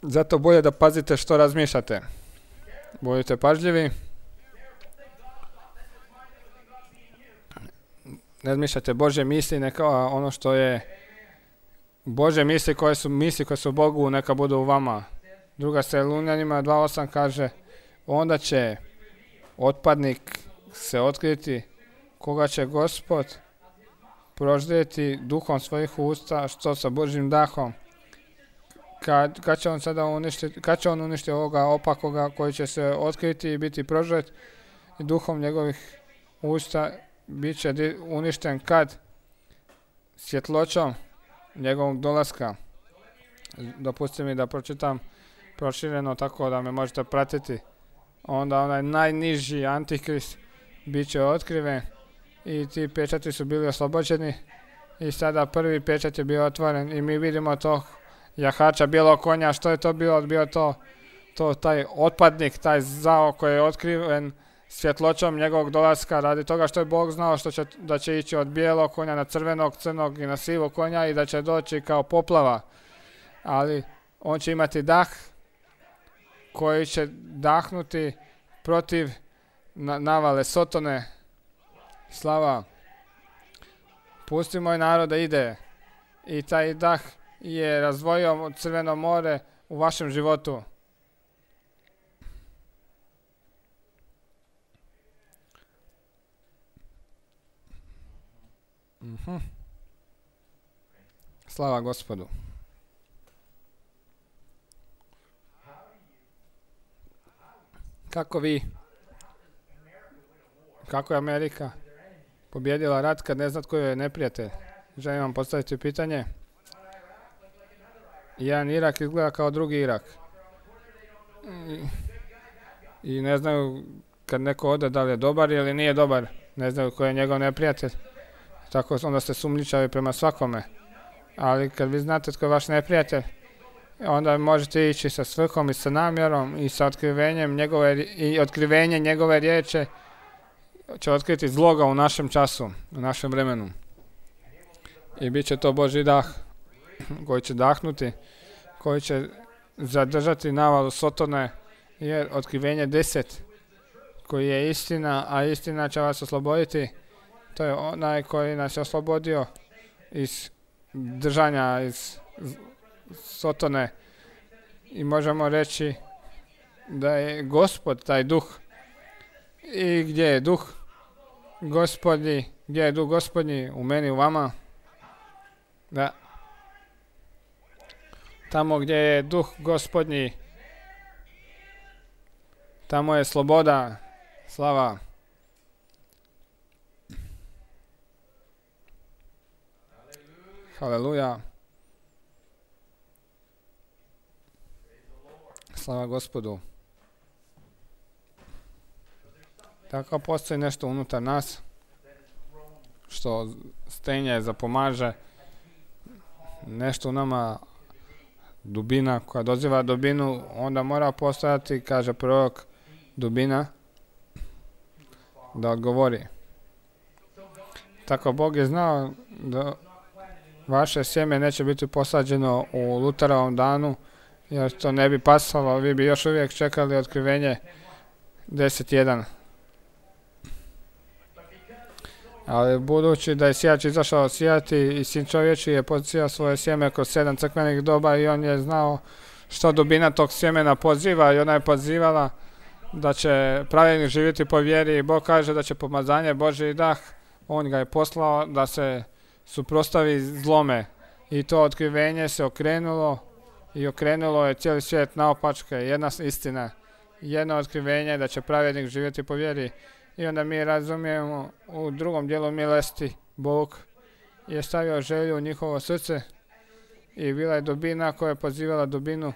Zato bolje da pazite što razmišljate. Budite pažljivi. Razmišljate Božje misli, neka ono što je Božje misli koje su misli koje su Bogu, neka budu u vama. Druga Tesaloničanima dva osam kaže, onda će otpadnik se otkriti, koga će Gospod proždjeti duhom svojih usta, što sa Božjim dahom. Kad, kad će on sada uništiti, kad će on uništiti ovoga opakoga koji će se otkriti i biti prožet i duhom njegovih usta bit će uništen kad? Svjetloćom njegovog dolaska. Dopustite mi da pročitam prošireno tako da me možete pratiti. Onda onaj najniži antikrist bit će otkriven i ti pečati su bili oslobođeni i sada prvi pečat je bio otvoren i mi vidimo to jahača bijelog konja. Što je to bilo? Bio to, to taj otpadnik, taj zao koji je otkriven svjetloćom njegovog dolaska radi toga što je Bog znao što će, da će ići od bijelog konja na crvenog, crnog i na sivog konja i da će doći kao poplava. Ali on će imati dah koji će dahnuti protiv na, navale Sotone. Slava. Pusti moj narod da ide. I taj dah je razdvojio Crveno more u vašem životu. Uh-huh. Slava Gospodu. Kako vi, kako je Amerika pobjedila rat kad ne zna tko je neprijatelj? Želim vam postaviti pitanje. Jedan Irak izgleda kao drugi Irak. I, i ne znaju kad neko ode da li je dobar ili nije dobar. Ne znaju ko je njegov neprijatelj. Tako onda ste sumnjičavi prema svakome. Ali kad vi znate tko je vaš neprijatelj, onda možete ići sa svrhom i sa namjerom i sa otkrivenjem njegove, i otkrivenje njegove riječi će otkriti zloga u našem času, u našem vremenu. I bit će to Božji dah koji će dahnuti, koji će zadržati navalu Sotone, jer otkrivenje deset koji je istina, a istina će vas osloboditi. To je onaj koji nas je oslobodio iz držanja, iz Sotone. I možemo reći da je Gospod taj duh. I gdje je duh Gospodnji, gdje je duh Gospodnji? U meni, u vama. Da. Tamo gdje je duh Gospodnji, tamo je sloboda, slava. Haleluja. Slava Gospodu. Tako postoji nešto unutar nas što stenje zapomaže, nešto u nama, dubina koja doziva dubinu, onda mora postojati, kaže prorok, dubina da odgovori. Tako Bog je znao da vaše sjeme neće biti posađeno u Luterovom danu, jer to ne bi pasalo, vi bi još uvijek čekali otkrivenje deset jedan. Ali budući da je sijač izašao sijati i Sin čovječji je posijao svoje sjeme kroz sedam crkvenih doba i on je znao što dubina tog sjemena poziva i ona je pozivala da će pravednik živjeti po vjeri i Bog kaže da će pomazanje Božji dah, on ga je poslao da se suprotstavi zlome i to otkrivenje se okrenulo i okrenulo je cijeli svijet naopačke, jedna istina, jedno otkrivenje da će pravednik živjeti po vjeri. I onda mi razumijemo u drugom dijelu milosti Bog je stavio želju u njihovo srce i bila je dubina koja je pozivala dubinu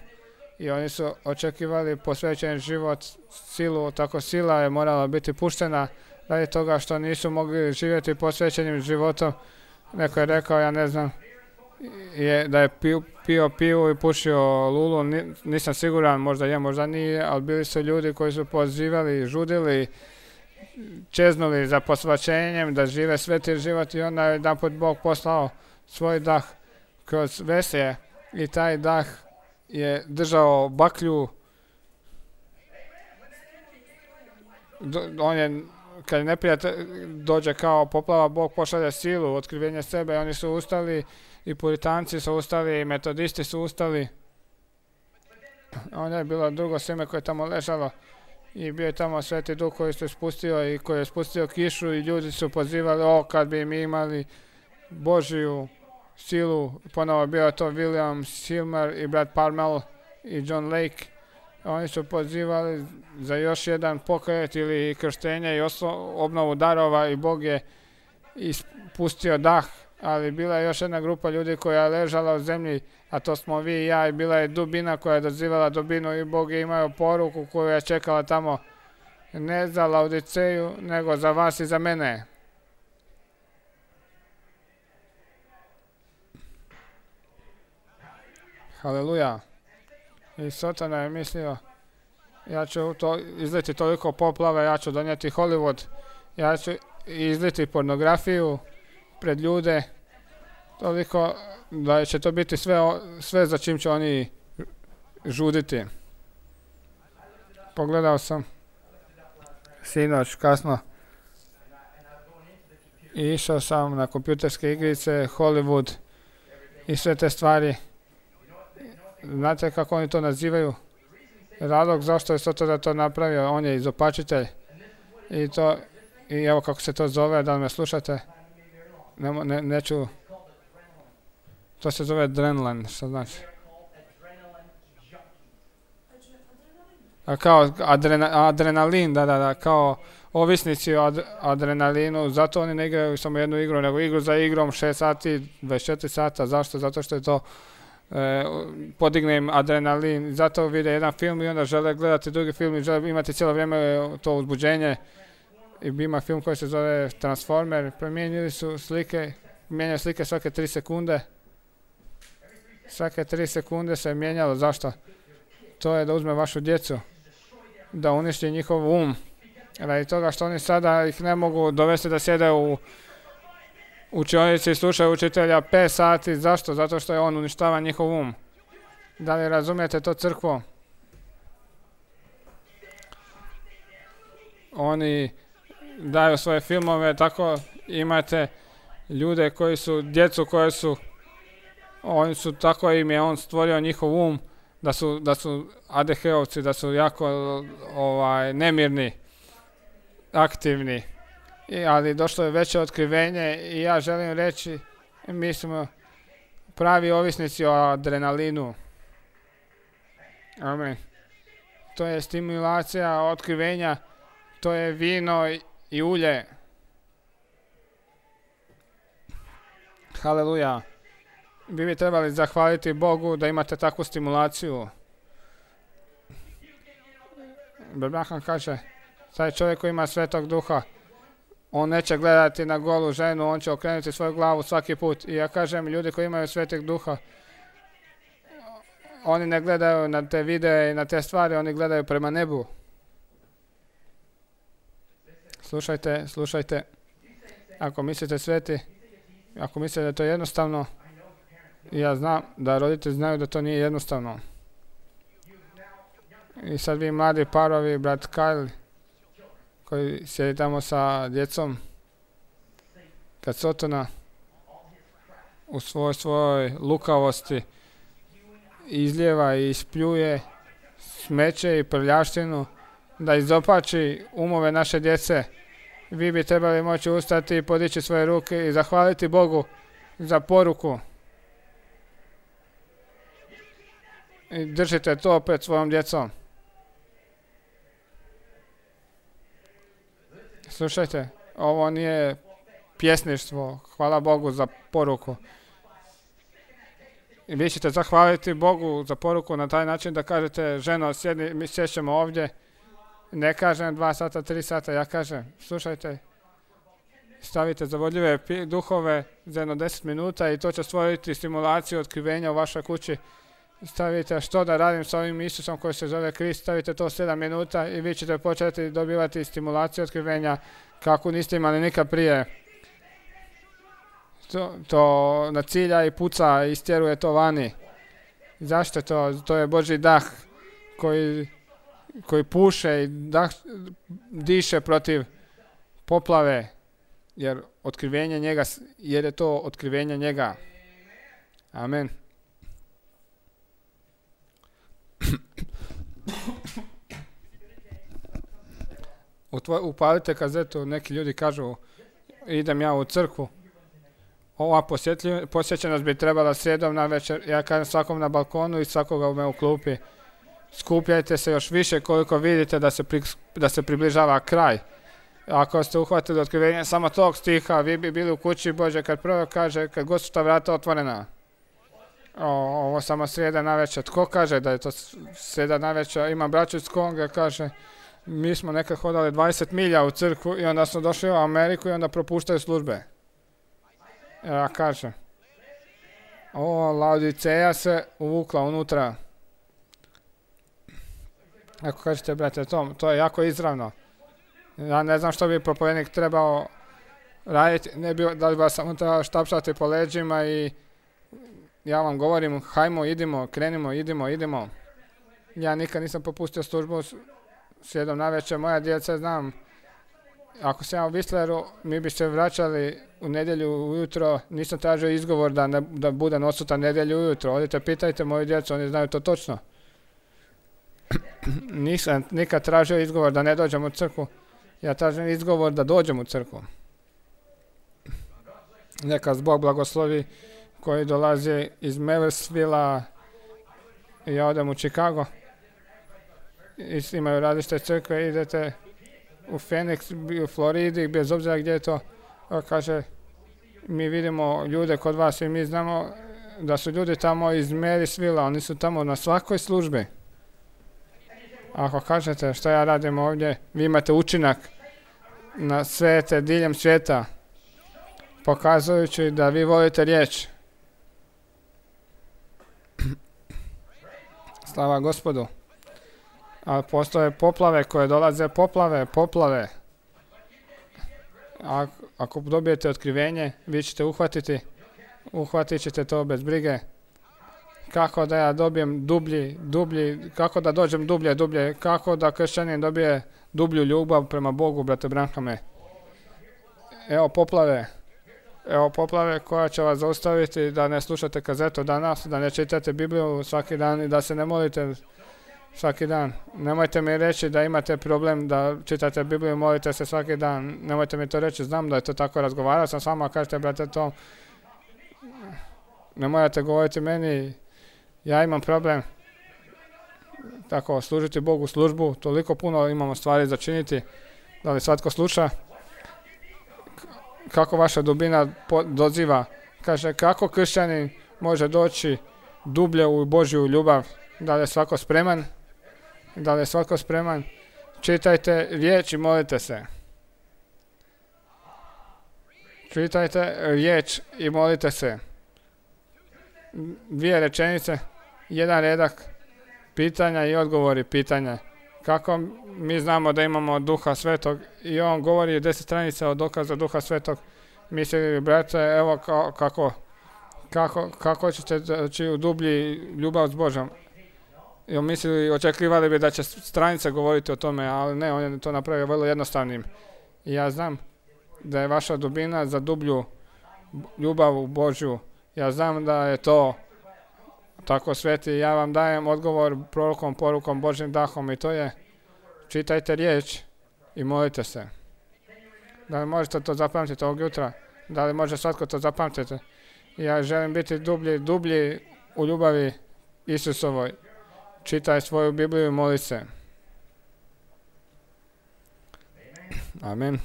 i oni su očekivali posvećen život, silu, tako sila je morala biti puštena radi toga što nisu mogli živjeti posvećenim životom. Neko je rekao, ja ne znam, je, da je pio, pio pivu i pušio lulu, nisam siguran, možda je, možda nije, ali bili su ljudi koji su pozivali, žudili, čeznuli za posvaćenjem, da žive sveti život i onda je jedanput Bog poslao svoj dah kroz veselje i taj dah je držao baklju. On je, kad neprijatelj dođe kao poplava, Bog pošalje silu, otkrivenje sebe, oni su ustali i puritanci su ustali i metodisti su ustali. Onda je bilo drugo sjeme koje je tamo ležalo. I bio je tamo Sveti Duh koji se spustio i koji je spustio kišu i ljudi su pozivali, o, kad bi mi imali Božju silu. Ponovo bio to William Silmer i brat Parmel i John Lake. Oni su pozivali za još jedan pokret ili krštenje i oslo, obnovu darova i Bog je ispustio dah. Ali bila je još jedna grupa ljudi koja je ležala u zemlji, a to smo vi i ja, i bila je dubina koja je dozivala dubinu i Bog je imao poruku koju je čekala tamo, ne za Laodiceju, nego za vas i za mene. Haleluja. I Sotona je mislio, ja ću to izliti toliko poplave, ja ću donijeti Hollywood, ja ću izliti pornografiju pred ljude, toliko da će to biti sve, sve za čim će oni žuditi. Pogledao sam sinoć kasno i išao sam na kompjuterske igrice, Hollywood i sve te stvari. Znate kako oni to nazivaju? Razlog zašto je Sotona to napravio, on je izopačitelj. I to, i evo kako se to zove, da li me slušate? Ne, ne, neću. To se zove adrenalin, što znači? A kao adrena, adrenalin, da, da, da, kao ovisnici o ad, adrenalinu, zato oni ne igraju samo jednu igru, nego igru za igrom šest sati, dvadeset četiri sata, zašto? Zato što je to e, podigne im adrenalin, zato vide jedan film i onda žele gledati drugi film i žele imati cijelo vrijeme to uzbuđenje. I ima film koji se zove Transformer, promijenili su slike, mijenjaju slike svake tri sekunde. Svake tri sekunde se je mijenjalo, zašto? To je da uzme vašu djecu, da uništi njihov um. Radi toga što oni sada ih ne mogu dovesti da sjede u učionici i slušaju učitelja pet sati, zašto? Zato što je on uništava njihov um. Da li razumijete to, crkvo? Oni daju svoje filmove tako Imate ljude koji su, djecu koje su, oni su, tako im je on stvorio njihov um, da su, da su A D H-ovci, da su jako ovaj, nemirni, aktivni. I, ali došlo je veće otkrivenje i ja želim reći, mi smo pravi ovisnici o adrenalinu. Amen. To je stimulacija otkrivenja, to je vino i, i ulje. Haleluja. Vi bi trebali zahvaliti Bogu da imate takvu stimulaciju. Abraham kaže, taj čovjek koji ima Svetog Duha, on neće gledati na golu ženu, on će okrenuti svoju glavu svaki put. I ja kažem, ljudi koji imaju Svetog Duha, oni ne gledaju na te videe i na te stvari, oni gledaju prema nebu. Slušajte, slušajte. Ako mislite sveti, ako mislite da je to jednostavno, ja znam da roditelji znaju da to nije jednostavno. I sad vi mladi parovi, brat Kyle, koji sjedi tamo sa djecom, kad Sotona u svoj svojoj lukavosti izljeva i ispljuje smeće i prljavštinu, da izopači umove naše djece, vi bi trebali moći ustati i podići svoje ruke i zahvaliti Bogu za poruku. I držite to pred svojom djecom. Slušajte, ovo nije pjesništvo, hvala Bogu za poruku. I vi ćete zahvaliti Bogu za poruku na taj način da kažete, ženo, sjedni, mi sjećemo ovdje. Ne kažem dva sata, tri sata, ja kažem, slušajte, stavite zavodljive duhove za jedno deset minuta i to će stvoriti stimulaciju otkrivenja u vašoj kući. Stavite što da radim sa ovim Isusom koji se zove Krist, stavite to sedam minuta i vi ćete početi dobivati stimulaciju otkrivenja kako niste imali nikad prije. To, to nacilja i puca i istjeruje to vani. Zašto to? To je Božji dah koji, koji puše i dah, diše protiv poplave, jer otkrivenje njega, jer je to otkrivenje njega. Amen. Upalite kazetu, neki ljudi kažu, idem ja u crkvu. Ova posjećenost bi trebala srijedom na večer, ja kažem svakom na balkonu i svakoga me u klupi. Skupljajte se još više koliko vidite da se, pri, da se približava kraj. Ako ste uhvatili otkrivenje samo tog stiha, vi bi bili u kući Bože kad prvo kaže, kad god su ta vrata otvorena. O, ovo samo srijeda na večer. Tko kaže da je to srijeda na večer? Imam braću iz Konga, kaže, mi smo nekad hodali dvadeset milja u crkvu i onda smo došli u Ameriku i onda propuštaju službe. Ja kažem, o, Laodiceja se uvukla unutra. Ako kažete, brate, to, to je jako izravno. Ja ne znam što bi propovednik trebao raditi, ne bi, da li bi vas samo trebao štapšati po leđima i ja vam govorim, hajmo, idimo, krenimo, idimo, idimo. Ja nikad nisam popustio službu sjedom na večer, moja djeca znam, ako sam ja u Whistleru, mi bi se vraćali u nedjelju ujutro, nisam tražio izgovor da, ne, da budem odsutan nedjelju ujutro. Odite, pitajte moju djecu, oni znaju to točno. Nisam nikad tražio izgovor da ne dođem u crkvu. Ja tražim izgovor da dođem u crkvu. Neka Bog blagoslovi koji dolazi iz Millersville-a i ja odem u Chicago. I imaju različite crkve, idete u Phoenix, u Floridi, bez obzira gdje je to. Kaže, mi vidimo ljude kod vas i mi znamo da su ljudi tamo iz Marysville-a, oni su tamo na svakoj službi. Ako kažete što ja radim ovdje, vi imate učinak na svete diljem svijeta, pokazujući da vi volite riječ. Slava Gospodu. Ali postoje poplave koje dolaze, poplave, poplave. A, ako dobijete otkrivenje, vi ćete uhvatiti, uhvatit ćete to bez brige. Kako da ja dobijem dublji, dublji, kako da dođem dublje, dublje, kako da kršćanin dobije dublju ljubav prema Bogu, brate Branhame. Evo poplave. Evo poplave koja će vas zaustaviti da ne slušate kazetu danas, da ne čitate Bibliju svaki dan i da se ne molite svaki dan. Nemojte mi reći da imate problem da čitate Bibliju i molite se svaki dan. Nemojte mi to reći, znam da je to tako, razgovarao sam s vama, kažete brate to. Ne morate govoriti meni, ja imam problem. Tako, služiti Bogu službu, toliko puno imamo stvari za činiti. Da li svatko sluša? Kako vaša dubina doziva? Kaže, kako kršćanin može doći dublje u Božju ljubav? Da li je svako spreman? Da li je svako spreman? Čitajte riječ i molite se. Čitajte riječ i molite se. Dvije rečenice, jedan redak, pitanja i odgovori pitanja. Kako mi znamo da imamo Duha Svetog i on govori deset stranica od dokaza Duha Svetog. Mislili, brate, evo ka, kako, kako, kako ćete doći u dublji ljubav s Božom. I on mislili, očekivali bi da će stranice govoriti o tome, ali ne, on je to napravio vrlo jednostavnim. I ja znam da je vaša dubina za dublju ljubav u Božju. Ja znam da je to tako sveti. Ja vam dajem odgovor prorokom, porukom, Božjim dahom i to je čitajte riječ i molite se. Da li možete to zapamtiti ovog jutra? Da li može svatko to zapamtiti? Ja želim biti dublji, dublji u ljubavi Isusovoj. Čitaj svoju Bibliju i moli se. Amen.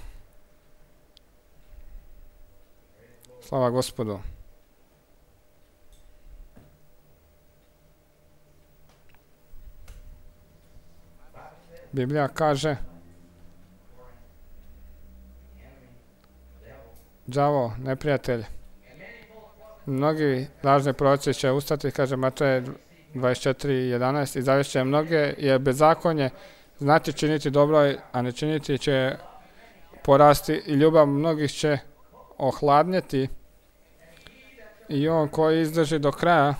Slava Gospodu. Biblija kaže đavo, neprijatelj. Mnogi lažni proroci će ustati, kaže Matej dvadeset četiri jedanaest, i zavešće mnoge, jer bezakonje znati činiti dobro, a ne činiti će porasti i ljubav mnogih će ohladnjeti i on koji izdrži do kraja,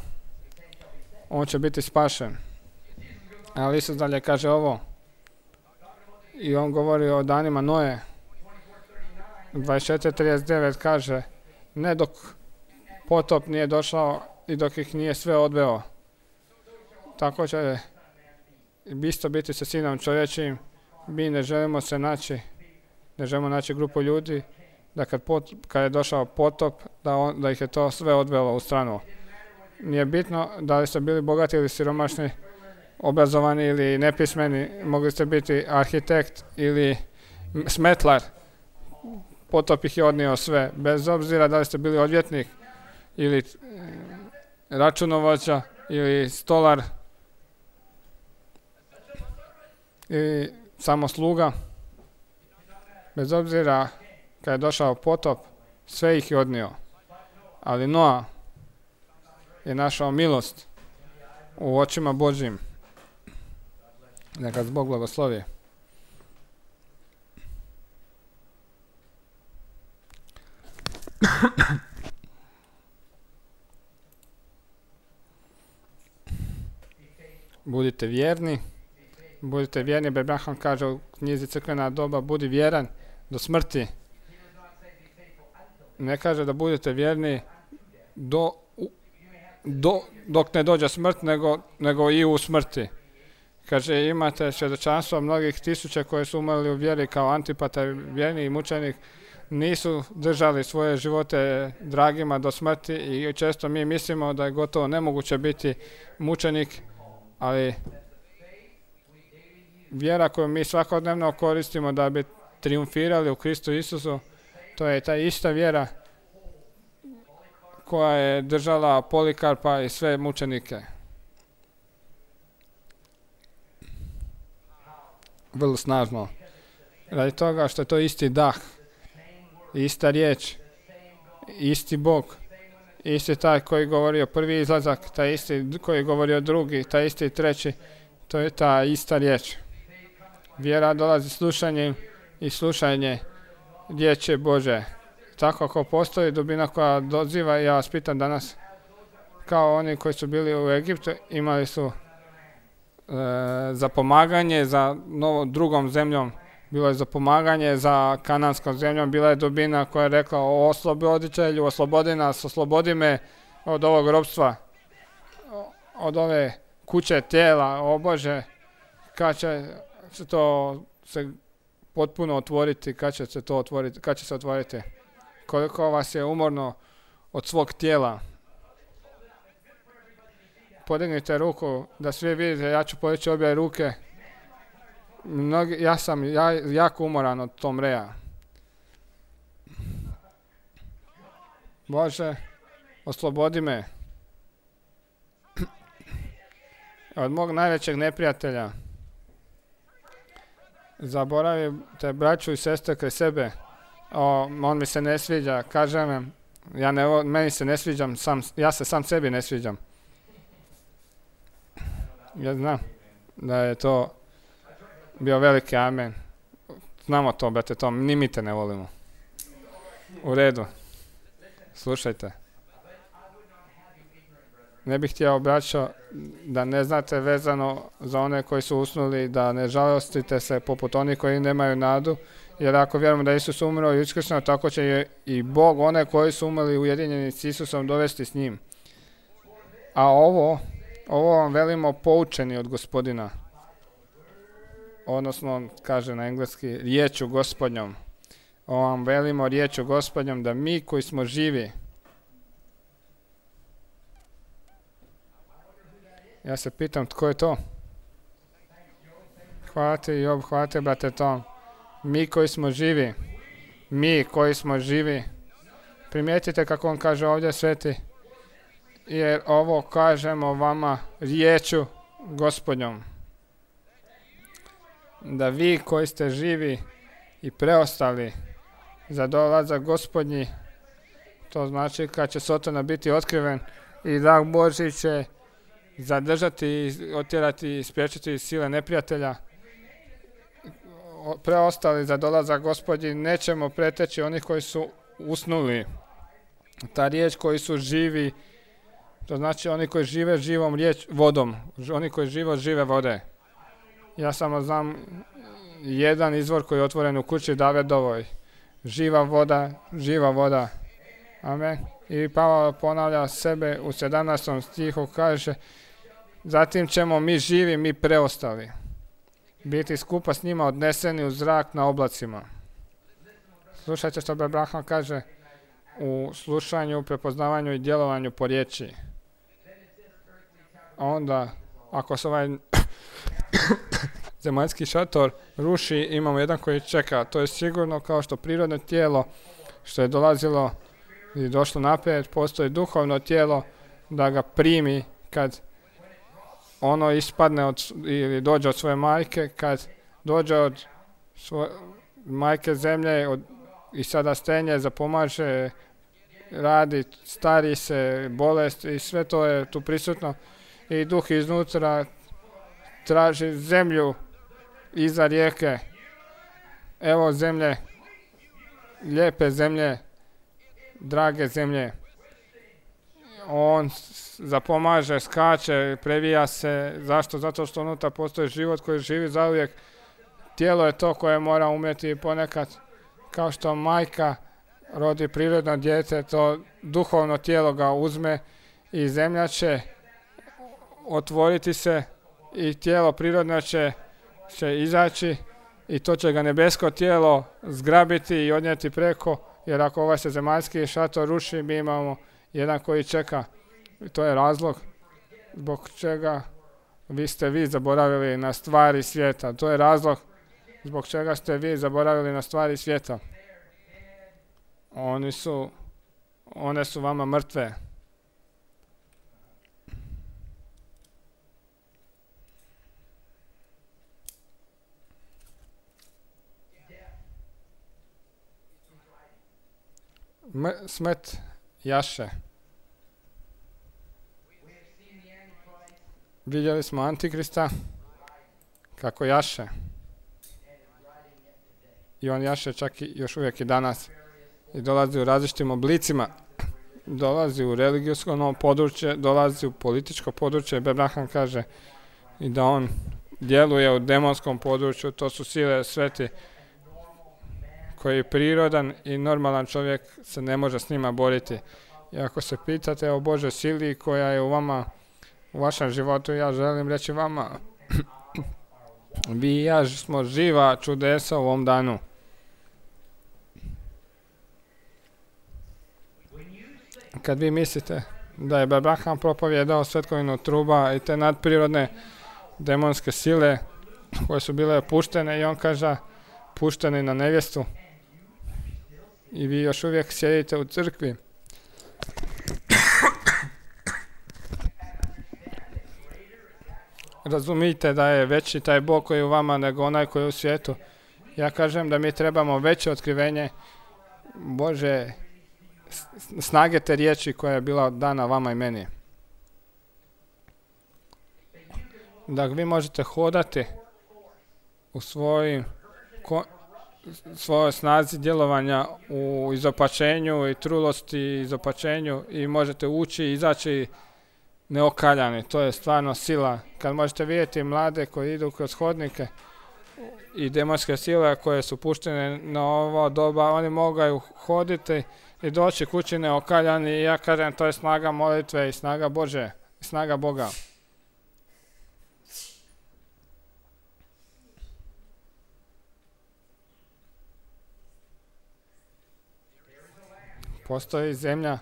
on će biti spašen. Ali Isus dalje kaže ovo, i on govori o danima Noe. dvadeset četiri trideset devet kaže, ne dok potop nije došao i dok ih nije sve odveo. Tako će isto biti sa Sinom čovječim. Mi ne želimo se naći, ne želimo naći grupu ljudi, da kad, pot, kad je došao potop, da, on, da ih je to sve odvelo u stranu. Nije bitno da li ste bili bogati ili siromašni, obrazovani ili nepismeni, mogli ste biti arhitekt ili smetlar. Potop ih je odnio sve, bez obzira da li ste bili odvjetnik ili računovođa ili stolar ili samo sluga. Bez obzira kad je došao potop, sve ih je odnio. Ali Noa je našao milost u očima Božjim. Neka Bog blagoslovi. Budite vjerni. Budite vjerni. Abraham kaže u knjizi Crkvena doba, budi vjeran do smrti. Ne kaže da budete vjerni do, do, dok ne dođe smrt, nego, nego i u smrti. Kaže, imate svjedočanstvo mnogih tisuća koji su umrli u vjeri kao Antipata, vjerni i mučenik, nisu držali svoje živote dragima do smrti i često mi mislimo da je gotovo nemoguće biti mučenik, ali vjera koju mi svakodnevno koristimo da bi triumfirali u Kristu Isusu, to je ta ista vjera koja je držala Polikarpa i sve mučenike. Vrlo snažno. Radi toga što je to isti dah, ista riječ, isti Bog, isti taj koji govori o prvi izlazak, taj isti koji govori o drugi, taj isti treći, to je ta ista riječ. Vjera dolazi slušanjem i slušanje riječi Bože. Tako ako postoji dubina koja doziva, ja vas pitam danas, kao oni koji su bili u Egiptu, imali su e, za pomaganje za novo, drugom zemljom, bilo je za pomaganje za kananskom zemljom, bila je dubina koja je rekla o osloboditelju, oslobodi nas, oslobodi me od ovog robstva, od ove kuće tijela, o Bože, kad će se to se potpuno otvoriti, kad će se to otvoriti, kad će se otvoriti, koliko vas je umorno od svog tijela. Podignite ruku da svi vidite, ja ću podići obje ruke. Mnogi, ja sam ja, jako umoran od tom reja. Bože, oslobodi me od mog najvećeg neprijatelja. Zaboravite braću i sestre kraj sebe. O, on mi se ne sviđa, kažem, ja ne, meni se ne sviđam, sam, ja se sam sebi ne sviđam. Ja znam da je to bio veliki amen. Znamo to, brate, to, ni mi te ne volimo. U redu. Slušajte. Ne bih htio, braćo, da ne znate vezano za one koji su usnuli, da ne žalostite se poput onih koji nemaju nadu, jer ako vjerujemo da Isus umro i uskrsnuo, tako će i Bog one koji su umrli ujedinjeni s Isusom dovesti s njim. A ovo, ovo vam velimo poučeni od Gospodina. Odnosno, on kaže na engleski, riječu Gospodnjom. Ovo vam velimo riječu Gospodnjom, da mi koji smo živi, ja se pitam tko je to? Hvala ti, Job, hvala ti, brate Tom. Mi koji smo živi, mi koji smo živi, primijetite kako on kaže ovdje sveti, jer ovo kažemo vama riječu Gospodnjom. Da vi koji ste živi i preostali za dolazak Gospodnji, to znači kad će Sotona biti otkriven i dah Božji će zadržati, otjerati i spriječiti sile neprijatelja, preostali za dolazak Gospodnji, nećemo preteći onih koji su usnuli. Ta riječ koji su živi, to znači oni koji žive živom riječ vodom, oni koji žive od žive vode. Ja samo znam jedan izvor koji je otvoren u kući Davidovoj. Živa voda, živa voda. Amen. I Pavao ponavlja sebe u sedamnaestom stihu, kaže, zatim ćemo mi živi, mi preostali biti skupa s njima odneseni u zrak na oblacima. Slušajte što Abraham kaže u slušanju, prepoznavanju i djelovanju po riječi. A onda, ako se ovaj zemaljski šator ruši, imamo jedan koji čeka. To je sigurno kao što prirodno tijelo što je dolazilo i došlo naprijed, postoji duhovno tijelo da ga primi kad ono ispadne od, ili dođe od svoje majke, kad dođe od svoje majke zemlje od, i sada stenje, zapomaže, radi, stari se, bolest i sve to je tu prisutno i duh iznutra traži zemlju iza rijeke. Evo zemlje, lijepe zemlje, drage zemlje. On zapomaže, skače, previja se. Zašto? Zato što unutra postoji život koji živi zauvijek. Tijelo je to koje mora umjeti ponekad, kao što majka rodi prirodno dijete, to duhovno tijelo ga uzme i zemlja će otvoriti se i tijelo prirodno će, će izaći i to će ga nebesko tijelo zgrabiti i odnijeti preko, jer ako ovaj se zemaljski šator ruši, mi imamo jedan koji čeka. I to je razlog zbog čega vi ste vi zaboravili na stvari svijeta. To je razlog zbog čega ste vi zaboravili na stvari svijeta. Oni su, one su vama mrtve. M- smrt jaše. Vidjeli smo Antikrista kako jaše. I on jaše čak i još uvijek i danas. I dolazi u različitim oblicima. Dolazi u religijsko područje, dolazi u političko područje. Abraham kaže i da on djeluje u demonskom području. To su sile sveti koji je prirodan i normalan čovjek se ne može s njima boriti. I ako se pitate o Božoj sili koja je u vama, u vašem životu, ja želim reći vama, vi i ja smo živa čudesa u ovom danu. Kad vi mislite da je Abraham propovjedao svetkovinu truba i te nadprirodne demonske sile koje su bile puštene i on kaže puštene na nevjestu i vi još uvijek sjedite u crkvi. Razumijte da je veći taj Bog koji je u vama nego onaj koji je u svijetu. Ja kažem da mi trebamo veće otkrivenje Bože snage te riječi koja je bila dana vama i meni. Da vi možete hodati u svojim ko, svojoj snazi djelovanja u izopačenju i trulosti i izopačenju i možete ući i izaći neokaljani. To je stvarno sila. Kad možete vidjeti mlade koji idu kroz hodnike i demonske sile koje su puštene na ovo doba, oni mogu hoditi i doći kući neokaljani i ja kažem to je snaga molitve i snaga Bože i snaga Boga. Postoji zemlja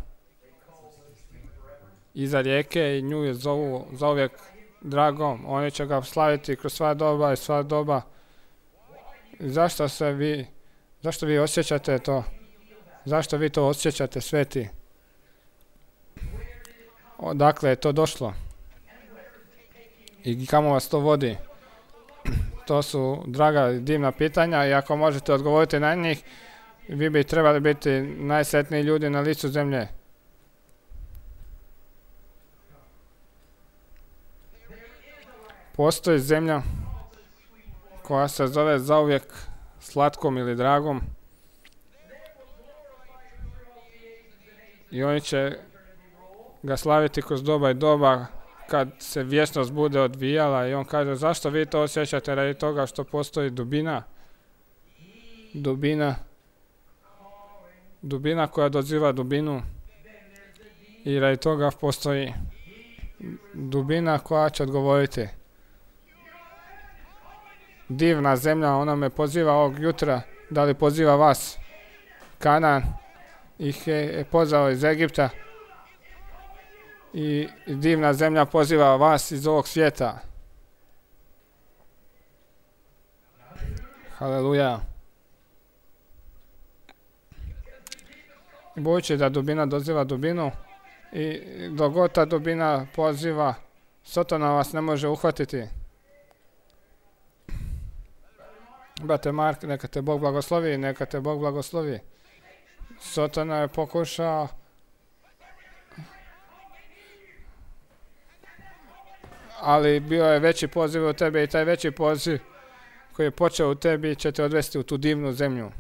iza rijeke i nju je zovu zauvijek dragom. Oni će ga slaviti kroz sva doba i sva doba. Zašto se vi, zašto vi osjećate to? Zašto vi to osjećate, sveti? Odakle je to došlo? I kamo vas to vodi? To su draga i divna pitanja i ako možete odgovoriti na njih, vi bi trebali biti najsretniji ljudi na licu zemlje. Postoji zemlja koja se zove zauvijek slatkom ili dragom i oni će ga slaviti kroz doba i doba kad se vječnost bude odvijala i on kaže zašto vi to osjećate radi toga što postoji dubina dubina dubina koja doziva dubinu i radi toga postoji dubina koja će odgovoriti. Divna zemlja, ona me poziva ovog jutra, da li poziva vas? Kanan ih je pozvao iz Egipta i divna zemlja poziva vas iz ovog svijeta. Haleluja. Budući da dubina doziva dubinu i dok god ta dubina poziva, Sotona vas ne može uhvatiti. Brate Mark, neka te Bog blagoslovi, neka te Bog blagoslovi. Sotona je pokušao ali bio je veći poziv u tebe i taj veći poziv koji je počeo u tebi će te odvesti u tu divnu zemlju.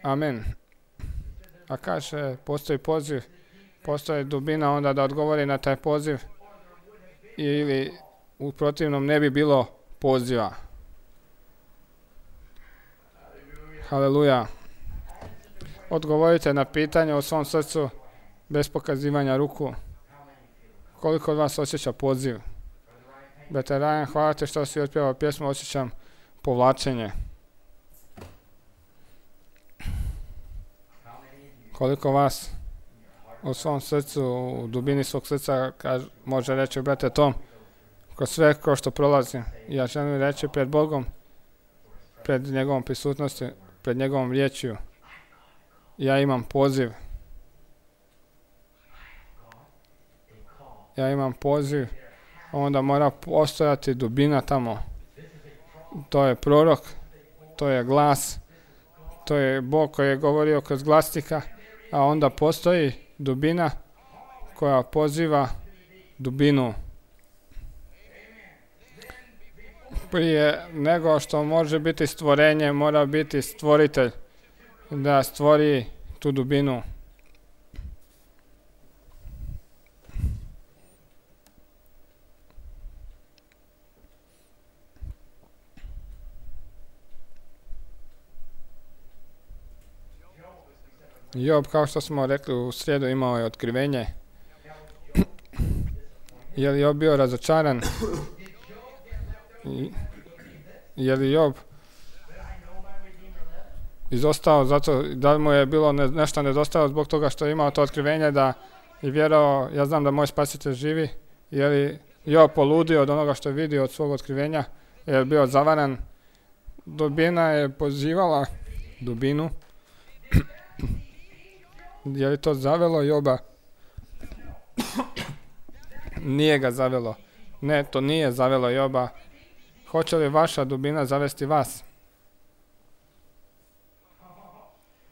Amen. A kaže, postoji poziv, postoji dubina onda da odgovori na taj poziv ili u protivnom ne bi bilo poziva. Haleluja. Odgovorite na pitanje u svom srcu bez pokazivanja ruku. Koliko od vas osjeća poziv? Brate Rajan, hvala te što si otpjevao pjesmu, osjećam povlačenje. Koliko vas u svom srcu, u dubini svog srca kaž, može reći, brate Tom, kroz sve ko što prolazim, ja želim reći pred Bogom, pred njegovom prisutnosti, pred njegovom riječju, ja imam poziv. Ja imam poziv, onda mora postojati dubina tamo. To je prorok, to je glas, to je Bog koji je govorio kroz glasnika, a onda postoji dubina koja poziva dubinu. Prije nego što može biti stvorenje, mora biti stvoritelj da stvori tu dubinu. Job, kao što smo rekli u srijedu, imao je otkrivenje. Je li Job bio razočaran? I, je li Job izostao zato, da li mu je bilo ne, nešto nedostalo zbog toga što je imao to otkrivenje da je vjerovao, ja znam da moj spasitelj živi? Je li Job poludio od onoga što je vidio od svog otkrivenja? Je li bio zavaran? Dubina je pozivala dubinu. Je li to zavelo Joba? Nije ga zavelo. Ne, to nije zavelo Joba. Hoće li vaša dubina zavesti vas?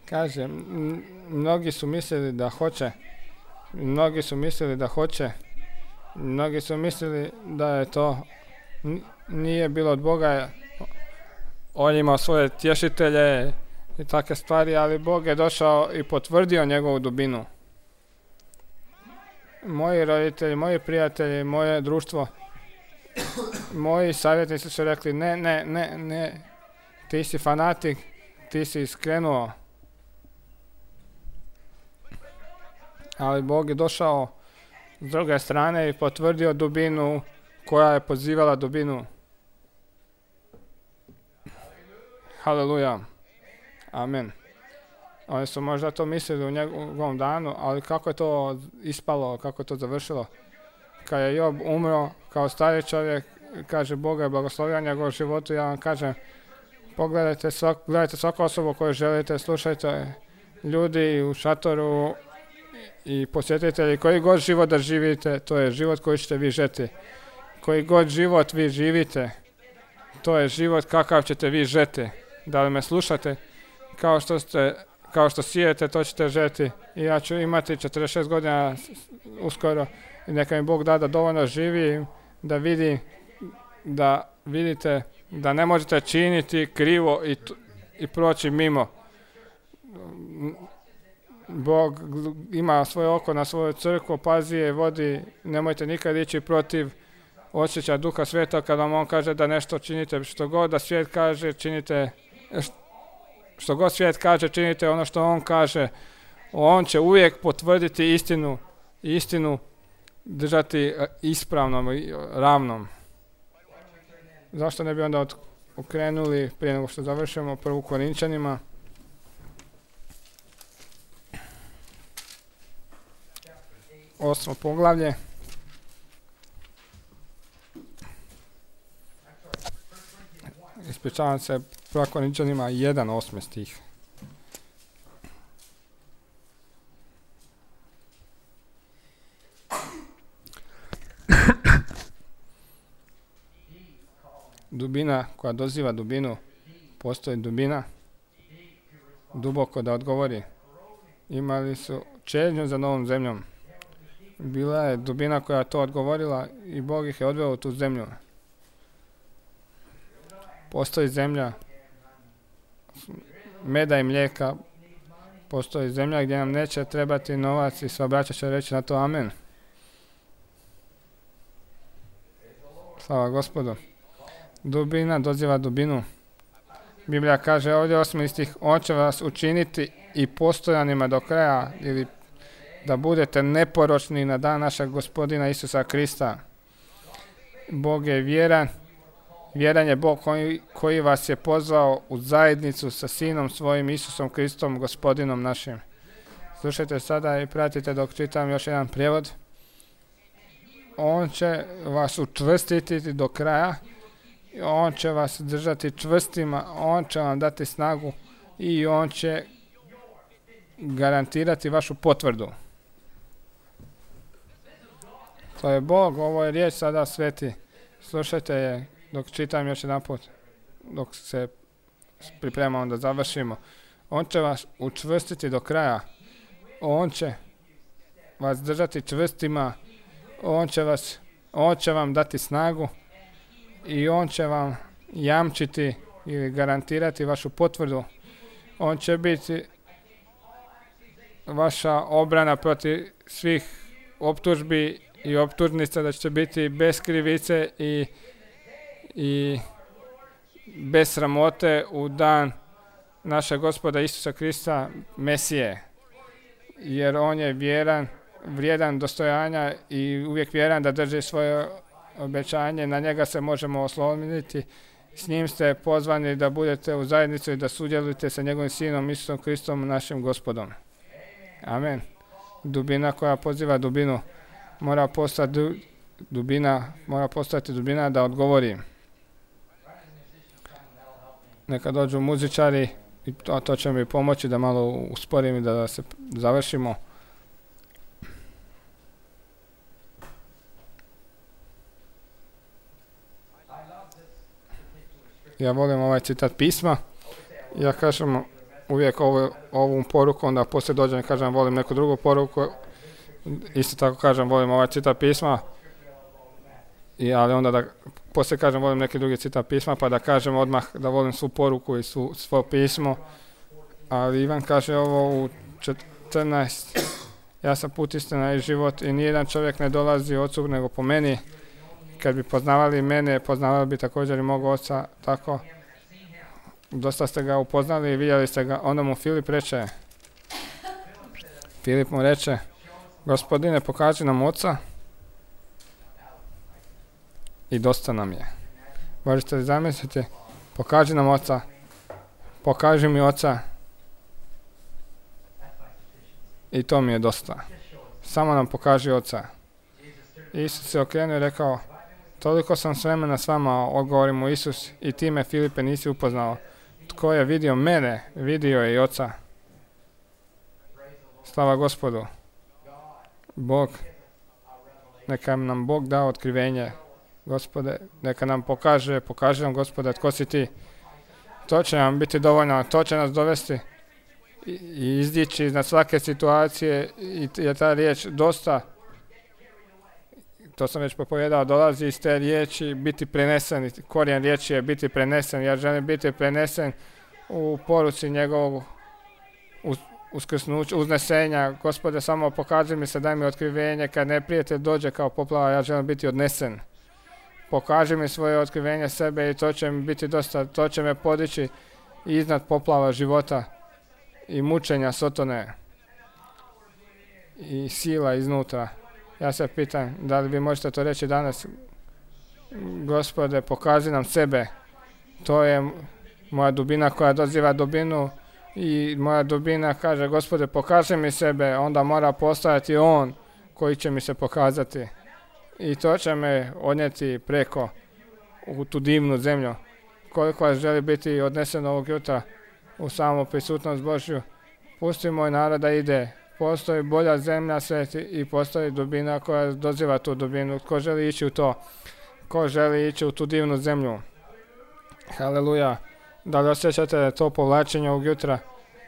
Kaže, m- mnogi su mislili da hoće. Mnogi su mislili da hoće. Mnogi su mislili da je to n- nije bilo od Boga. On imao svoje tješitelje i takve stvari, ali Bog je došao i potvrdio njegovu dubinu. Moji roditelji, moji prijatelji, moje društvo, moji savjetnici su rekli ne, ne, ne, ne, ti si fanatik, ti si iskrenuo. Ali Bog je došao s druge strane i potvrdio dubinu koja je pozivala dubinu. Haleluja. Amen. Oni su možda to mislili u njegovom danu, ali kako je to ispalo, kako je to završilo? Kad je Job umro kao stari čovjek, kaže Boga je blagoslovio njegovom životu, ja vam kažem, pogledajte svak, gledajte svaku osobu koju želite, slušajte ljudi u šatoru i posjetitelji, koji god život da živite, to je život koji ćete vi žeti. Koji god život vi živite, to je život kakav ćete vi žeti. Da li me slušate? Kao što ste, kao što sijete, to ćete žeti. I ja ću imati četrdeset šest godina uskoro i neka mi Bog da da dovoljno živim, da vidim, da vidite da ne možete činiti krivo i, t- i proći mimo. Bog ima svoje oko na svoju crkvu, pazi je, vodi, nemojte nikad ići protiv osjećaja Duha Sveta kada vam on kaže da nešto činite, što god da svijet kaže, činite, što god svijet kaže, činite ono što on kaže. On će uvijek potvrditi istinu, istinu držati ispravnom i ravnom. Zašto ne bi onda okrenuli prije nego što završimo prvu Korinčanima? Osmo poglavlje. Ispričavam se, prva Korinčanima jedan osmi stih. Dubina koja doziva dubinu, postoji dubina, duboko da odgovori. Imali su čežnju za novom zemljom. Bila je dubina koja to odgovorila i Bog ih je odveo u tu zemlju. Postoji zemlja meda i mlijeka, postoji zemlja gdje nam neće trebati novac i sva braća će reći na to amen. Slava Gospodu. Dubina doziva dubinu. Biblija kaže ovdje osmi stih, on će vas učiniti i postojanima do kraja, ili da budete neporočni na dan našeg Gospodina Isusa Krista. Bog je vjeran, vjeran je Bog koji, koji vas je pozvao u zajednicu sa Sinom svojim Isusom Kristom, Gospodinom našim. Slušajte sada i pratite dok čitam još jedan prijevod. On će vas učvrstiti do kraja, on će vas držati čvrstima, on će vam dati snagu i on će garantirati vašu potvrdu. To je Bog, ovo je riječ sada sveti. Slušajte je dok čitam još jedan put, dok se pripremamo da završimo. On će vas učvrstiti do kraja. On će vas držati čvrstima, on će vas, on će vam dati snagu i on će vam jamčiti ili garantirati vašu potvrdu. On će biti vaša obrana protiv svih optužbi i optužnica, da ćete biti bez krivice i, i bez sramote u dan našeg Gospoda Isusa Krista, Mesije. jer on je vjeran, vrijedan dostojanja i uvijek vjeran da drži svoje obećanje. Na njega se možemo osloniti. S njim ste pozvani da budete u zajednici i da sudjelujete sa njegovim sinom Isusom Kristom, našim Gospodom. Amen. Dubina koja poziva dubinu mora postati du, dubina, mora postati dubina da odgovori. Neka dođu muzičari i to, to će mi pomoći da malo usporim i da se završimo. Ja volim ovaj citat pisma. Ja kažem uvijek ovu, ovu poruku, onda poslije dođem i kažem volim neku drugu poruku. Isto tako kažem volim ovaj citat pisma. I, ali onda da poslije kažem volim neki drugi citat pisma, pa da kažem odmah da volim svu poruku i svu, svo pismo. Ali Ivan kaže ovo u četrnaest. Ja sam put, istina i život i nijedan čovjek ne dolazi ocu nego po meni. Kad bi poznavali mene, poznavali bi također i mog oca, tako. Dosta ste ga upoznali i vidjeli ste ga. Onda mu Filip reče, Filip mu reče, Gospodine, pokaži nam oca i dosta nam je. Možete li zamisliti, pokaži nam oca, pokaži mi oca i to mi je dosta. Samo nam pokaži oca. Isus se okrenuo i rekao, toliko sam s vremena s vama, odgovori mu Isus, i ti me, Filipe, nisi upoznao. Tko je vidio mene, vidio je i oca. Slava Gospodu. Bog, neka nam Bog da otkrivenje. Gospode, neka nam pokaže, pokaže nam, Gospode, tko si ti. To će nam biti dovoljno, to će nas dovesti i, i izdići iznad svake situacije i je ta riječ dosta. To sam već propovedao, dolazi iz te riječi biti prenesen. Korijen riječi je biti prenesen. Ja želim biti prenesen u poruci njegovog uskrsnuća, uznesenja. Gospode, samo pokaži mi se, daj mi otkrivenje. Kad neprijatelj dođe kao poplava, ja želim biti odnesen. Pokaži mi svoje otkrivenje sebe i to će mi biti dosta. To će me podići iznad poplava života i mučenja Sotone i sila iznutra. Ja se pitam, da li vi možete to reći danas? Gospode, pokaži nam sebe. To je moja dubina koja doziva dubinu i moja dubina kaže, Gospode, pokaži mi sebe. Onda mora postojati on koji će mi se pokazati. I to će me odnijeti preko u tu divnu zemlju. Koliko vas želi biti odneseno ovog jutra u samu prisutnost Božju, pusti moj narod da ide. Postoji bolja zemlja sveti i postoji dubina koja doziva tu dubinu. Ko želi ići u to? Ko želi ići u tu divnu zemlju? Haleluja. Da li osjećate to povlačenje ovog jutra?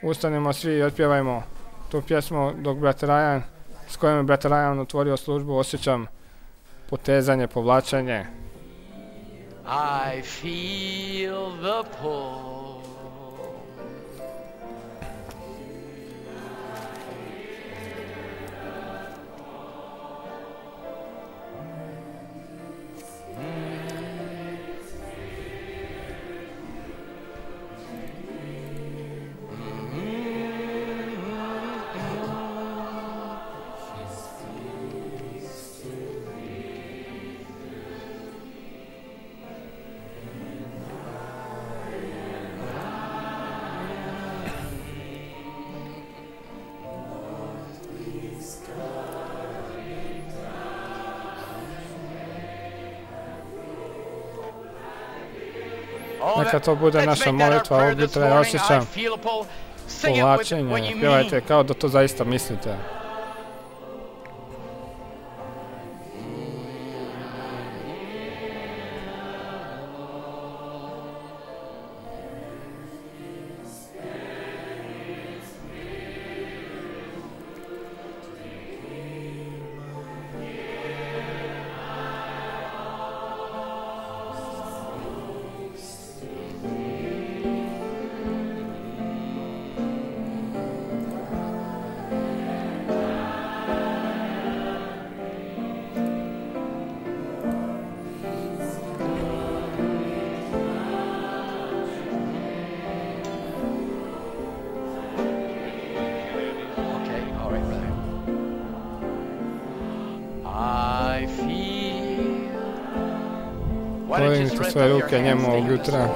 Ustanimo svi i otpjevajmo tu pjesmu dok brat Rajan, s kojom je brat Rajan otvorio službu, osjećam potezanje, povlačenje. I feel the pull. Neka to bude naša molitva ovog jutra, ja osjećam povlačenje. Pjevajte kao da to zaista mislite. Podignite svoje ruke njemu ovog jutra.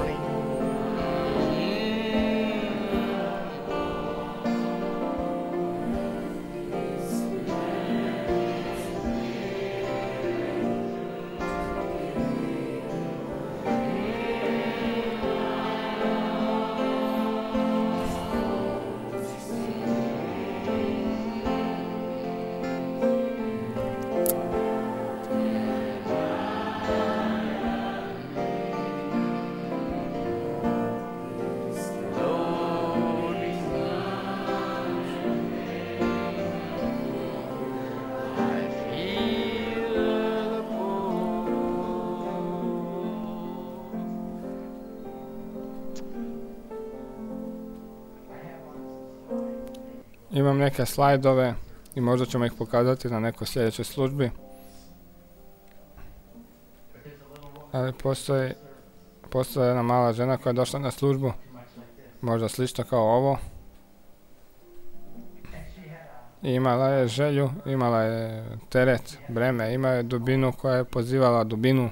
Imam neke slajdove i možda ćemo ih pokazati na nekoj sljedećoj službi. Ali postoji, postoji jedna mala žena koja je došla na službu, možda slično kao ovo. I imala je želju, imala je teret, breme, imala je dubinu koja je pozivala dubinu.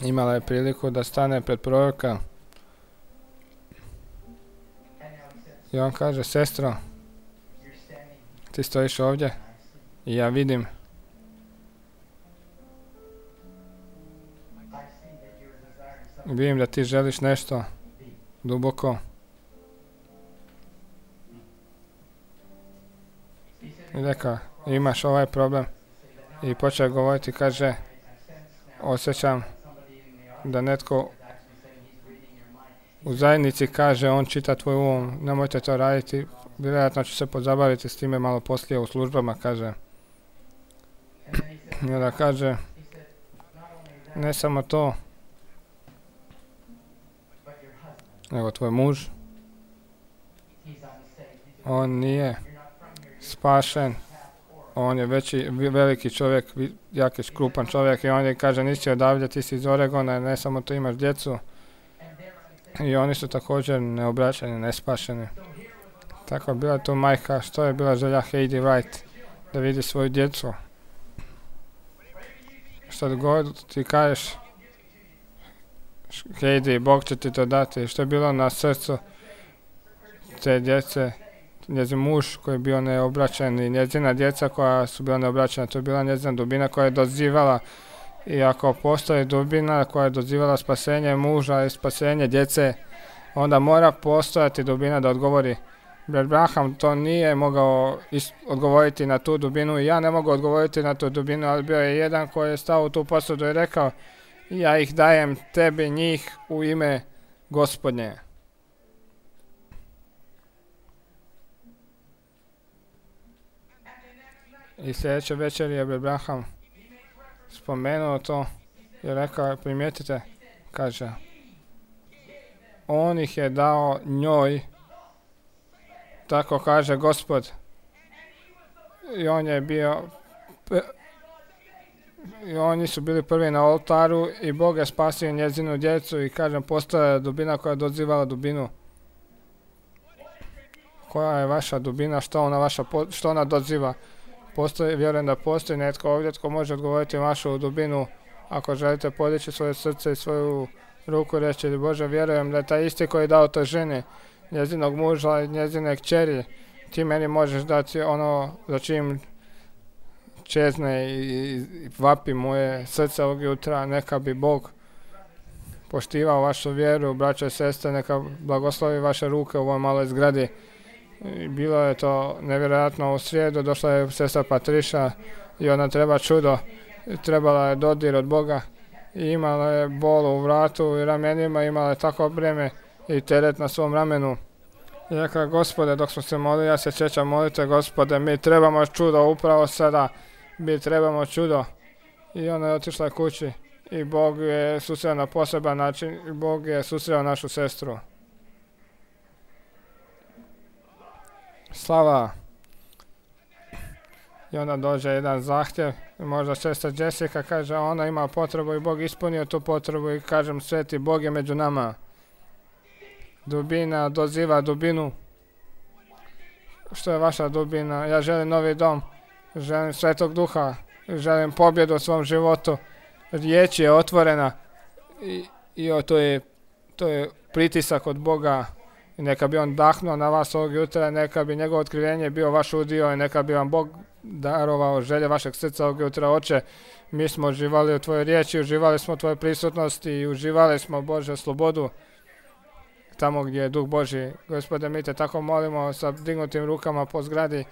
Imala je priliku da stane pred proroka. I on kaže, sestro, ti stojiš ovdje i ja vidim. Vidim da ti želiš nešto duboko. I rekao, imaš ovaj problem. I počeo govoriti, kaže, osjećam da netko u zajednici kaže, on čita tvoj um, nemojte to raditi, vjerojatno ću se pozabaviti s time malo poslije u službama, kaže. I onda kaže, ne samo to, nego tvoj muž, on nije spašen, on je veći, veliki čovjek, jaki škrupan čovjek i on je kaže, nisi odavdje, ti si iz Oregona, ne samo to imaš djecu. I oni su također neobraćeni, nespašeni. Tako je bila tu majka, što je bila želja Heidi Wright, da vidi svoju djecu. Što god ti kažeš, Heidi, Bog će ti to dati. Što je bilo na srcu te djece, njezin muž koji je bio neobraćen i njezina djeca koja su bila neobraćena, to je bila njezina dubina koja je dozivala. I ako postoji dubina koja je dozivala spasenje muža i spasenje djece, onda mora postojati dubina da odgovori. Brat Branham to nije mogao odgovoriti na tu dubinu i ja ne mogu odgovoriti na tu dubinu, ali bio je jedan koji je stao u tu posudu i rekao, ja ih dajem tebi njih u ime Gospodnje. I sljedeće večer je Brat Branham spomenuo to i rekao, primijetite, kaže, on ih je dao njoj, tako kaže Gospod. I on je bio, i oni su bili prvi na oltaru i Bog je spasio njezinu djecu i kažem, postoja je dubina koja je dozivala dubinu. Koja je vaša dubina, što ona, vaša, što ona doziva? Postoji, vjerujem da postoji netko ovdje tko može odgovoriti vašu dubinu. Ako želite podići svoje srce i svoju ruku, reći, Bože, vjerujem da je taj isti koji je dao toj ženi, njezinog muža i njezine kćeri, ti meni možeš dati ono za čim čezne i, i vapi moje srce ovog jutra. Neka bi Bog poštivao vašu vjeru, braćo i sestre, neka blagoslovi vaše ruke u ovoj maloj zgradi. I bilo je to nevjerojatno u srijedu, došla je sestra Patriša i ona treba čudo, trebala je dodir od Boga i imala je bol u vratu i ramenima, imala je tako breme i teret na svom ramenu. I rekla, Gospode, dok smo se molili, ja se sjećam molite, Gospode, mi trebamo čudo upravo sada, mi trebamo čudo. I ona je otišla kući i Bog je susreo na poseban način i Bog je susreo našu sestru. Slava. I onda dođe jedan zahtjev, možda sestra Jessica kaže, ona ima potrebu i Bog ispunio tu potrebu i kažem, sveti Bog je među nama. Dubina doziva dubinu. Što je vaša dubina? Ja želim novi dom, želim Svetog Duha, želim pobjedu u svom životu, riječ je otvorena i, i o, to, je, to je pritisak od Boga i neka bi on dahnuo na vas ovog jutra, neka bi njegovo otkrivenje bio vaš udio i neka bi vam Bog darovao želje vašeg srca ovog jutra. Oče, mi smo uživali u tvojoj riječi, uživali smo u tvojoj prisutnosti i uživali smo, Bože, slobodu tamo gdje je Duh Božji. Gospode, mi te tako molimo sa dignutim rukama po zgradi.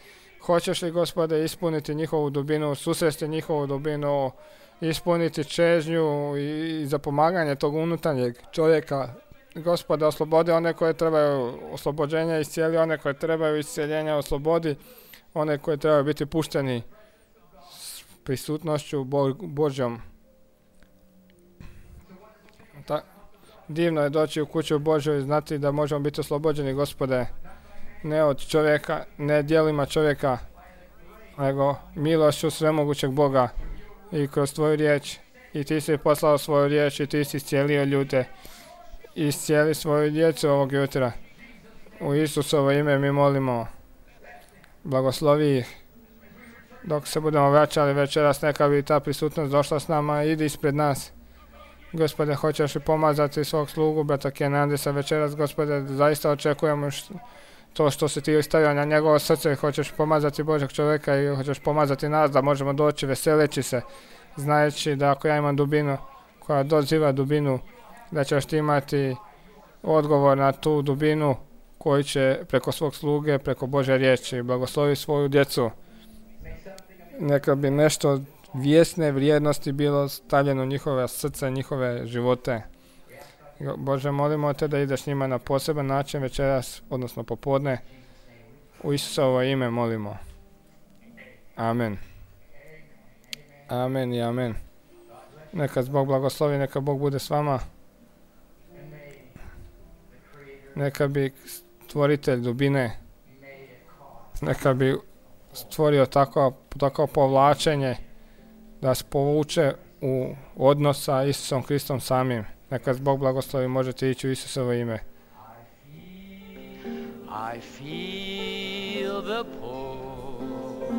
Hoćeš li, Gospode, ispuniti njihovu dubinu, susresti njihovu dubinu, ispuniti čežnju i, i za pomaganje tog unutarnjeg čovjeka. Gospode, oslobodi one koje trebaju oslobođenja, iscijeli one koje trebaju iscijeljenja, oslobodi one koje trebaju biti pušteni s prisutnošću Bo- Božjom. Ta, divno je doći u kuću Božju i znati da možemo biti oslobođeni, Gospode, ne od čovjeka, ne djelima čovjeka, nego milošću svemogućeg Boga i kroz tvoju riječ. I ti si poslao svoju riječ i ti si iscijelio ljude. Iscijeli svoju djecu ovog jutra. U Isusovo ime mi molimo. Blagoslovi ih. Dok se budemo vraćali večeras, neka bi ta prisutnost došla s nama, idi ispred nas. Gospode, hoćeš li pomazati svog slugu, brata Kenandisa večeras, Gospode, zaista očekujemo što, to što si ti stavio na njegovo srce, hoćeš pomazati Božeg čovjeka i hoćeš pomazati nas da možemo doći veseleći se, znajući da ako ja imam dubinu koja doziva dubinu, da ćeš ti imati odgovor na tu dubinu koji će preko svog sluge, preko Božje riječi, blagoslovi svoju djecu. Neka bi nešto vjesne vrijednosti bilo stavljeno u njihove srce, njihove živote. Bože, molimo te da ideš njima na poseban način večeras, odnosno popodne. U Isusovo ime molimo. Amen. Amen i amen. Neka Bog blagoslovi, neka Bog bude s vama. Neka bi stvoritelj dubine, neka bi stvorio tako, tako povlačenje da vas povuče u odnos sa Isusom Kristom samim. Neka Bog blagoslovi, možete ići u Isusovo ime. I feel the pull.